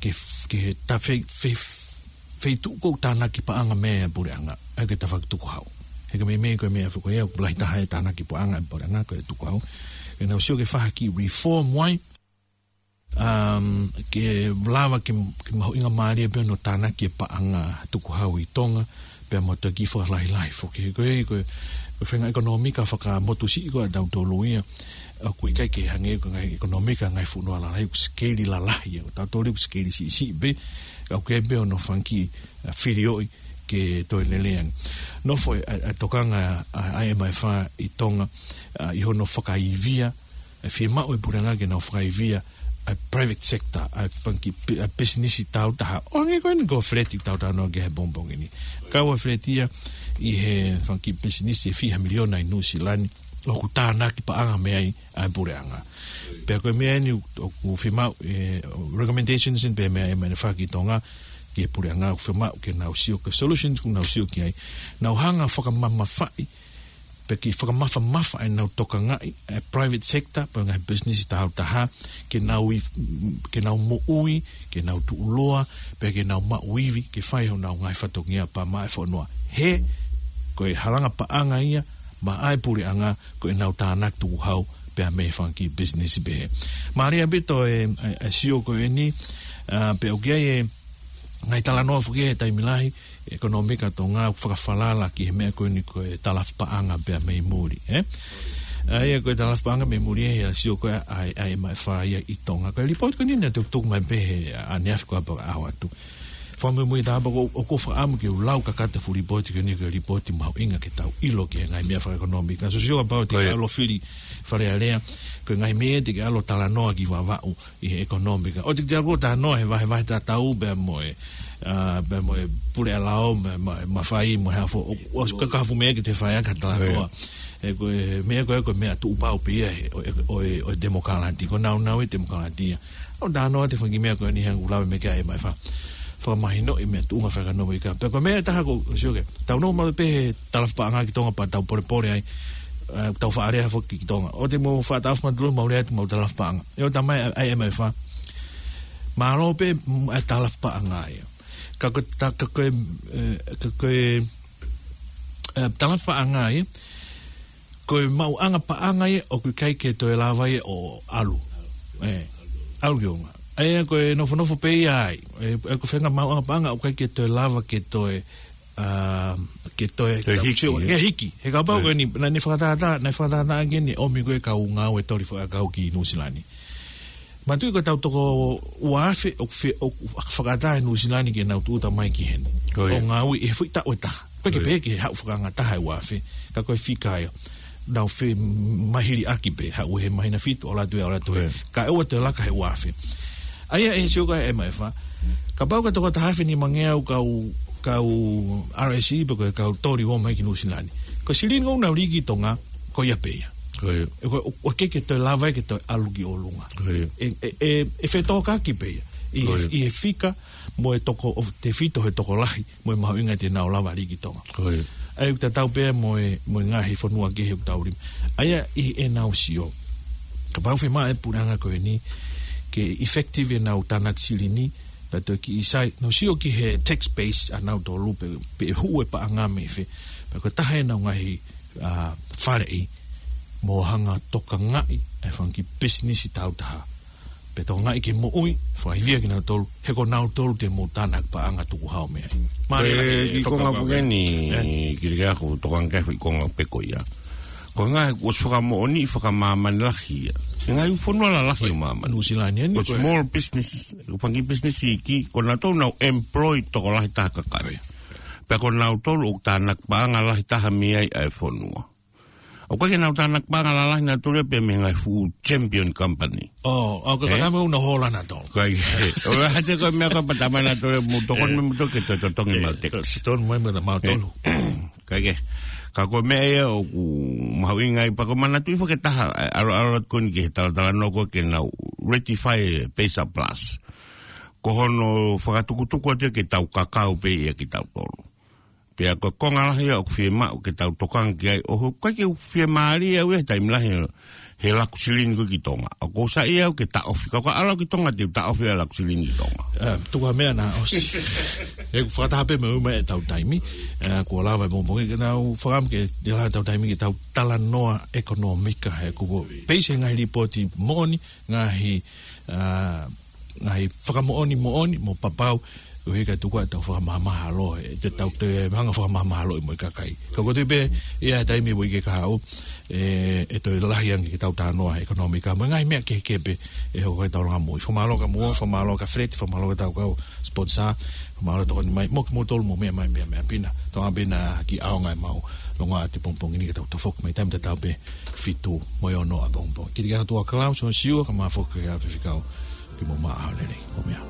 ki he, ki he ta fei, fei, feituʻu ʻoku tānaki paʻanga mei ai e puleʻanga, ʻa ia ko e tafaʻaki tukuhau. He ko e meimei ko e meʻa foki ia, ʻoku lahi taha e tānaki paʻanga e puleʻanga ko e tukuhau. ʻEnau sio ke fai ha kiʻi reform ai, um, ke lava ke, ke mahuʻingamālie pē hono tānaki e paʻanga tukuhau ʻi Tonga, pea mo e toki fakalahilahi foki. Ko e, ko e, ko e faʻahinga ʻekonōmika fakamotusiʻi ko ē ʻa tautolu ia, ʻoku ʻikai ke hangē ko e ngaahi ʻekonōmika ngaahi fonua lalahi, ʻoku sikeili lalahi ia, ʻo tautolu ʻoku sikeili siʻisiʻi pē, ʻoku ʻikai pē hono fanga kiʻi, ʻa, filioʻi ke toe lelei ange. Nofo e, ʻa, ʻa e tokanga ʻa, ʻa e M F ʻi Tonga, ʻa, ʻi hono fakaivia, ʻa e fiemaʻu e puleʻanga ke nau fakaivia ʻa e private sector, ʻa e fanga kiʻi pi-, ʻa e pisinisi taautaha. ʻO hangē ko eni ko e feleti ʻoku tau talanoa ki ai he pongipongi ni. Kau ʻa e feleti ia ʻi he fanga kiʻi pisinisi ʻe fiha miliona ʻi Nuʻu Sila ni, ʻoku tānaki paʻanga mei ai ʻa e puleʻanga. Pea ko e meʻa eni ʻoku fiemaʻu, e, recommendations eni pea mei he M F ki Tonga, ki he puleʻanga ʻoku fiemaʻu ke nau sio, ko e solutions ʻoku nau sio ki ai. Nau hanga fakamamafaʻi, pe ke fakamafamafa ʻenau tokangaʻi e private sector, pe ngaahi business taautaha, ke nau ʻi, ke nau moʻui, ke nau tuʻuloa, pe ke nau maʻu ivi, ke fai honau ngaahi fatongia pea maʻa e fonua. He, ko e halanga paʻanga ia, maʻa e puleʻanga, ko ʻenau tānaki tukuhau, pea mei he fanga kiʻi business pehē. Mālie ʻaupito e, e, e sio ko eni, ʻa, pea ʻoku ʻi ai e, ngaahi talanoa foki he taimi lahi, ʻekonōmika Tonga ʻoku fakafalala ki he meʻa ko eni ko e talafu paʻanga pea mei muli, ē? ʻA ia ko e talafu paʻanga mei muli ē, ʻa e sio ko ē ʻa e, ʻa e M F ia ʻi Tonga. Ko e lipooti ko eni naʻe tukutuku mai pē he ʻaneafi ko ē pea ʻaho atu. Fakamuimui tāpapa ko, ʻoku ou fakaʻamu ke u lau kakato e fuʻu lipooti ko eni ko e lipooti mahuʻinga ke tau ʻilo ki he ngaahi meʻa fakaʻekonōmika. Sio sio kapau te ke ʻalu ʻo fili Fale Alea, ko e ngaahi meʻa te ke ʻalu ʻo talanoa ki Vavaʻu, ʻi he ʻekonōmika. ʻOua te ke ʻalu ʻo talanoa he vahevahe tatau pea mo e, ʻa, pea mo e puleʻanga lao, mo e, mo e mafai, mo e hā fua, ʻo, ʻo, ka, ka ʻoku fuʻu meʻa ke te fai ʻaki ha talanoa. He ko e meʻa ko ē, ko e meʻa tuʻupau pē ia, he, ʻo, ʻo, ʻo, ʻo e temokalati, ko e nāunau e temokalati ia. ʻO talanoa atu e fanga kiʻi meʻa ko eni he ʻoku lave mai ki ai e M F. Fakamahinoʻi e meʻa tuʻunga fakaʻekonōmika. Pea ko e meʻa ʻe taha ko, sio ke, tau nofo maʻu pē he talafu paʻanga ki Tonga pea tau polepole ai, ʻa, tau faʻa lea foki ki Tonga. ʻOua te mou faʻa taʻofi mautolu, mou lea atu homou talafu paʻanga. ʻE ʻo talamai ʻe he M F, mālō pē, mm, ʻa e talafu paʻanga ia. Ka ko e ta-, ka ko e, ʻe, ka ko e, ʻe, talafu paʻanga ia, ko e maʻuʻanga paʻanga ia ʻoku ʻikai ke toe lava ia ʻo ʻalu. ʻE, ʻalu ki ʻolunga. ʻA ia ko e nofonofo pē ia ai. ʻE, ʻe ko e faʻahinga maʻuʻanga paʻanga ʻoku ʻikai ke toe lava ke toe, ʻa, ke toe, toe hiki, ke hiki. He kapau ko eni, naʻa ne fakatātā, naʻe fakatātā ange ʻene ʻomi ko ē kau ngāue toli fakaʻakau ki Nuʻu Sila ni. Manatuʻi ko e taʻu toko ua afe, ʻoku fe-, ʻoku fakaʻatā ʻe Nuʻu Sila ni ke nau tūʻuta mai ki heni. ʻO ngāue he foʻi taʻu ʻe taha. Pea ke pehē ke haʻu fakaʻangataha e ua afe, ka ko e fika ia. Nau femahiliʻaki pē, haʻu he māhina fitu, ʻalu atu ē, ʻalu atu ē. Kae ʻoua toe laka he ua afe. ʻA ia ʻe sio ko ē M F, kapau ko e toko taha afe nimangeau kau, kau R S E pe ko e kau toli ʻo ō mai ki Nuʻu Sila ni. Ko e silini ʻoku nau lī ki Tonga, ko ia pē ia. ʻE ko, ʻoku ʻikai ke toe lava ia ke toe ʻalu ki ʻolunga. ʻE, ʻe, ʻe, ʻe fetōkaki pē ia. ʻI he, ʻi he fika mo e toko, ʻo tefito he tokolahi, mo e mahuʻinga te nau lava lī ki Tonga. ʻA ia ʻoku tatau pē mo e, mo e ngaahi fonua kehe ʻoku tau lī. ʻA ia ʻi heʻenau sio, kapau fiemaʻu ʻe he puleʻanga ko eni ke effective ʻenau tānaki silini, pea toe kiʻi sai, nau sio ki he tax base ʻanautolu pe, pe ʻe hū e paʻanga mei fē. Pea ko e taha ʻenau ngaahi, ā, faleʻi mo hanga tokangaʻi ʻa e fanga kiʻi pisinisi taautaha. Pea tokangaʻi ke moʻui, fakaivia kinautolu, he ko nautolu te mou tānaki paʻanga tukuhau mei ai. Mālō e, ʻi he konga fakakaukau pē eni, ē? Kili ke ako tokanga ki he konga pē ko ia. Ko e ngaahi kuo ʻosi fakamoʻoni, fakamāmani lahi ia. ʻI he ngaahi fonua lalahi ʻo māmani. Nuʻusila ni eni ko e small business, ko e fanga kiʻi business iiki, ko nautolu ʻoku nau employ tokolahi taha kakai. Pea ko nautolu ʻoku tānaki paʻanga lahi taha mei ai ʻa e fonua. ʻOku ʻikai ke nau tānaki paʻanga lalahi nautolu ia pē mei he ngaahi fuʻu champion company. ʻO, ʻoku ʻikai ke, ē? Ka me una hola nautolu. ʻIkai ke. ʻO, ʻa ia ko e meʻa ko e pata mai nautolu ia mo tokoni, ē, mei mutolu ke toe totongi, ē, mautolu. To-, totongi mai mei mautolu. Ē. ʻIkai ke. Ka ko e meʻa ia ʻoku mahuʻinga ai pea ko e manatuʻi foki e taha, ē, ʻaloʻalo atu ko eni ki he talatalanoa ko ē ke nau ratify e PACER Plus. Ko hono fakatukutuku atu ia ke tau kakau pē ia kitautolu. Pea ko e konga lahi ia ʻoku fiemaʻu ke tau tokanga ki ai, ʻoku ʻikai ke u fiemālie au ia he taimi lahi he laku silini ko ē ki Tonga. ʻOku ou saiʻia au ke taʻofi. Ka ko e ʻalu ki Tonga te u taʻofi ʻa e laku silini ki Tonga. Ē, tuku ā meʻa naʻa ʻosi. ʻOku fakataha pē mo e ʻumaʻā ʻetau taimi. Ē, kuo lava e pongipongi ke tau fakaʻamu ke, ke lava ʻetau taimi ke tau talanoa ʻekonōmika he kuo peisi e ngaahi lipooti moʻoni, ngaahi, ā, ngaahi fakamoʻoni moʻoni mo papau, ʻo hika tuku ʻetau fakamāmālohi, ʻetau toe hanga ʻo fakamāmālohiʻi mo e kakai. Ka ko e tui pē ia he taimi ʻe ui ke ka haʻu, ē, ʻe toe lahi ange ke tau talanoa he ʻekonōmika mo e ngaahi meʻa kehekehe pē ʻe hoko he taulanga moʻui. Fakamālō kia Muo, fakamālō kia Fred, fakamālō kia hotau kau sponsor, fakamālō tokoni mai, mo kimoutolu mou meʻa mai pē meʻa pē na. Tokanga pē na ki he ʻaonga ʻemau longoaʻa he pongipongi ni, ka tau tafoki mai taimi tatau pē fitu mo e ono ʻapongipongi. Kili ke ako tuʻa Klaus ʻo Siua, kae ʻumaʻā foki ʻa e faifekau, ke mou maʻu ʻaho lelei. Ko e meʻa.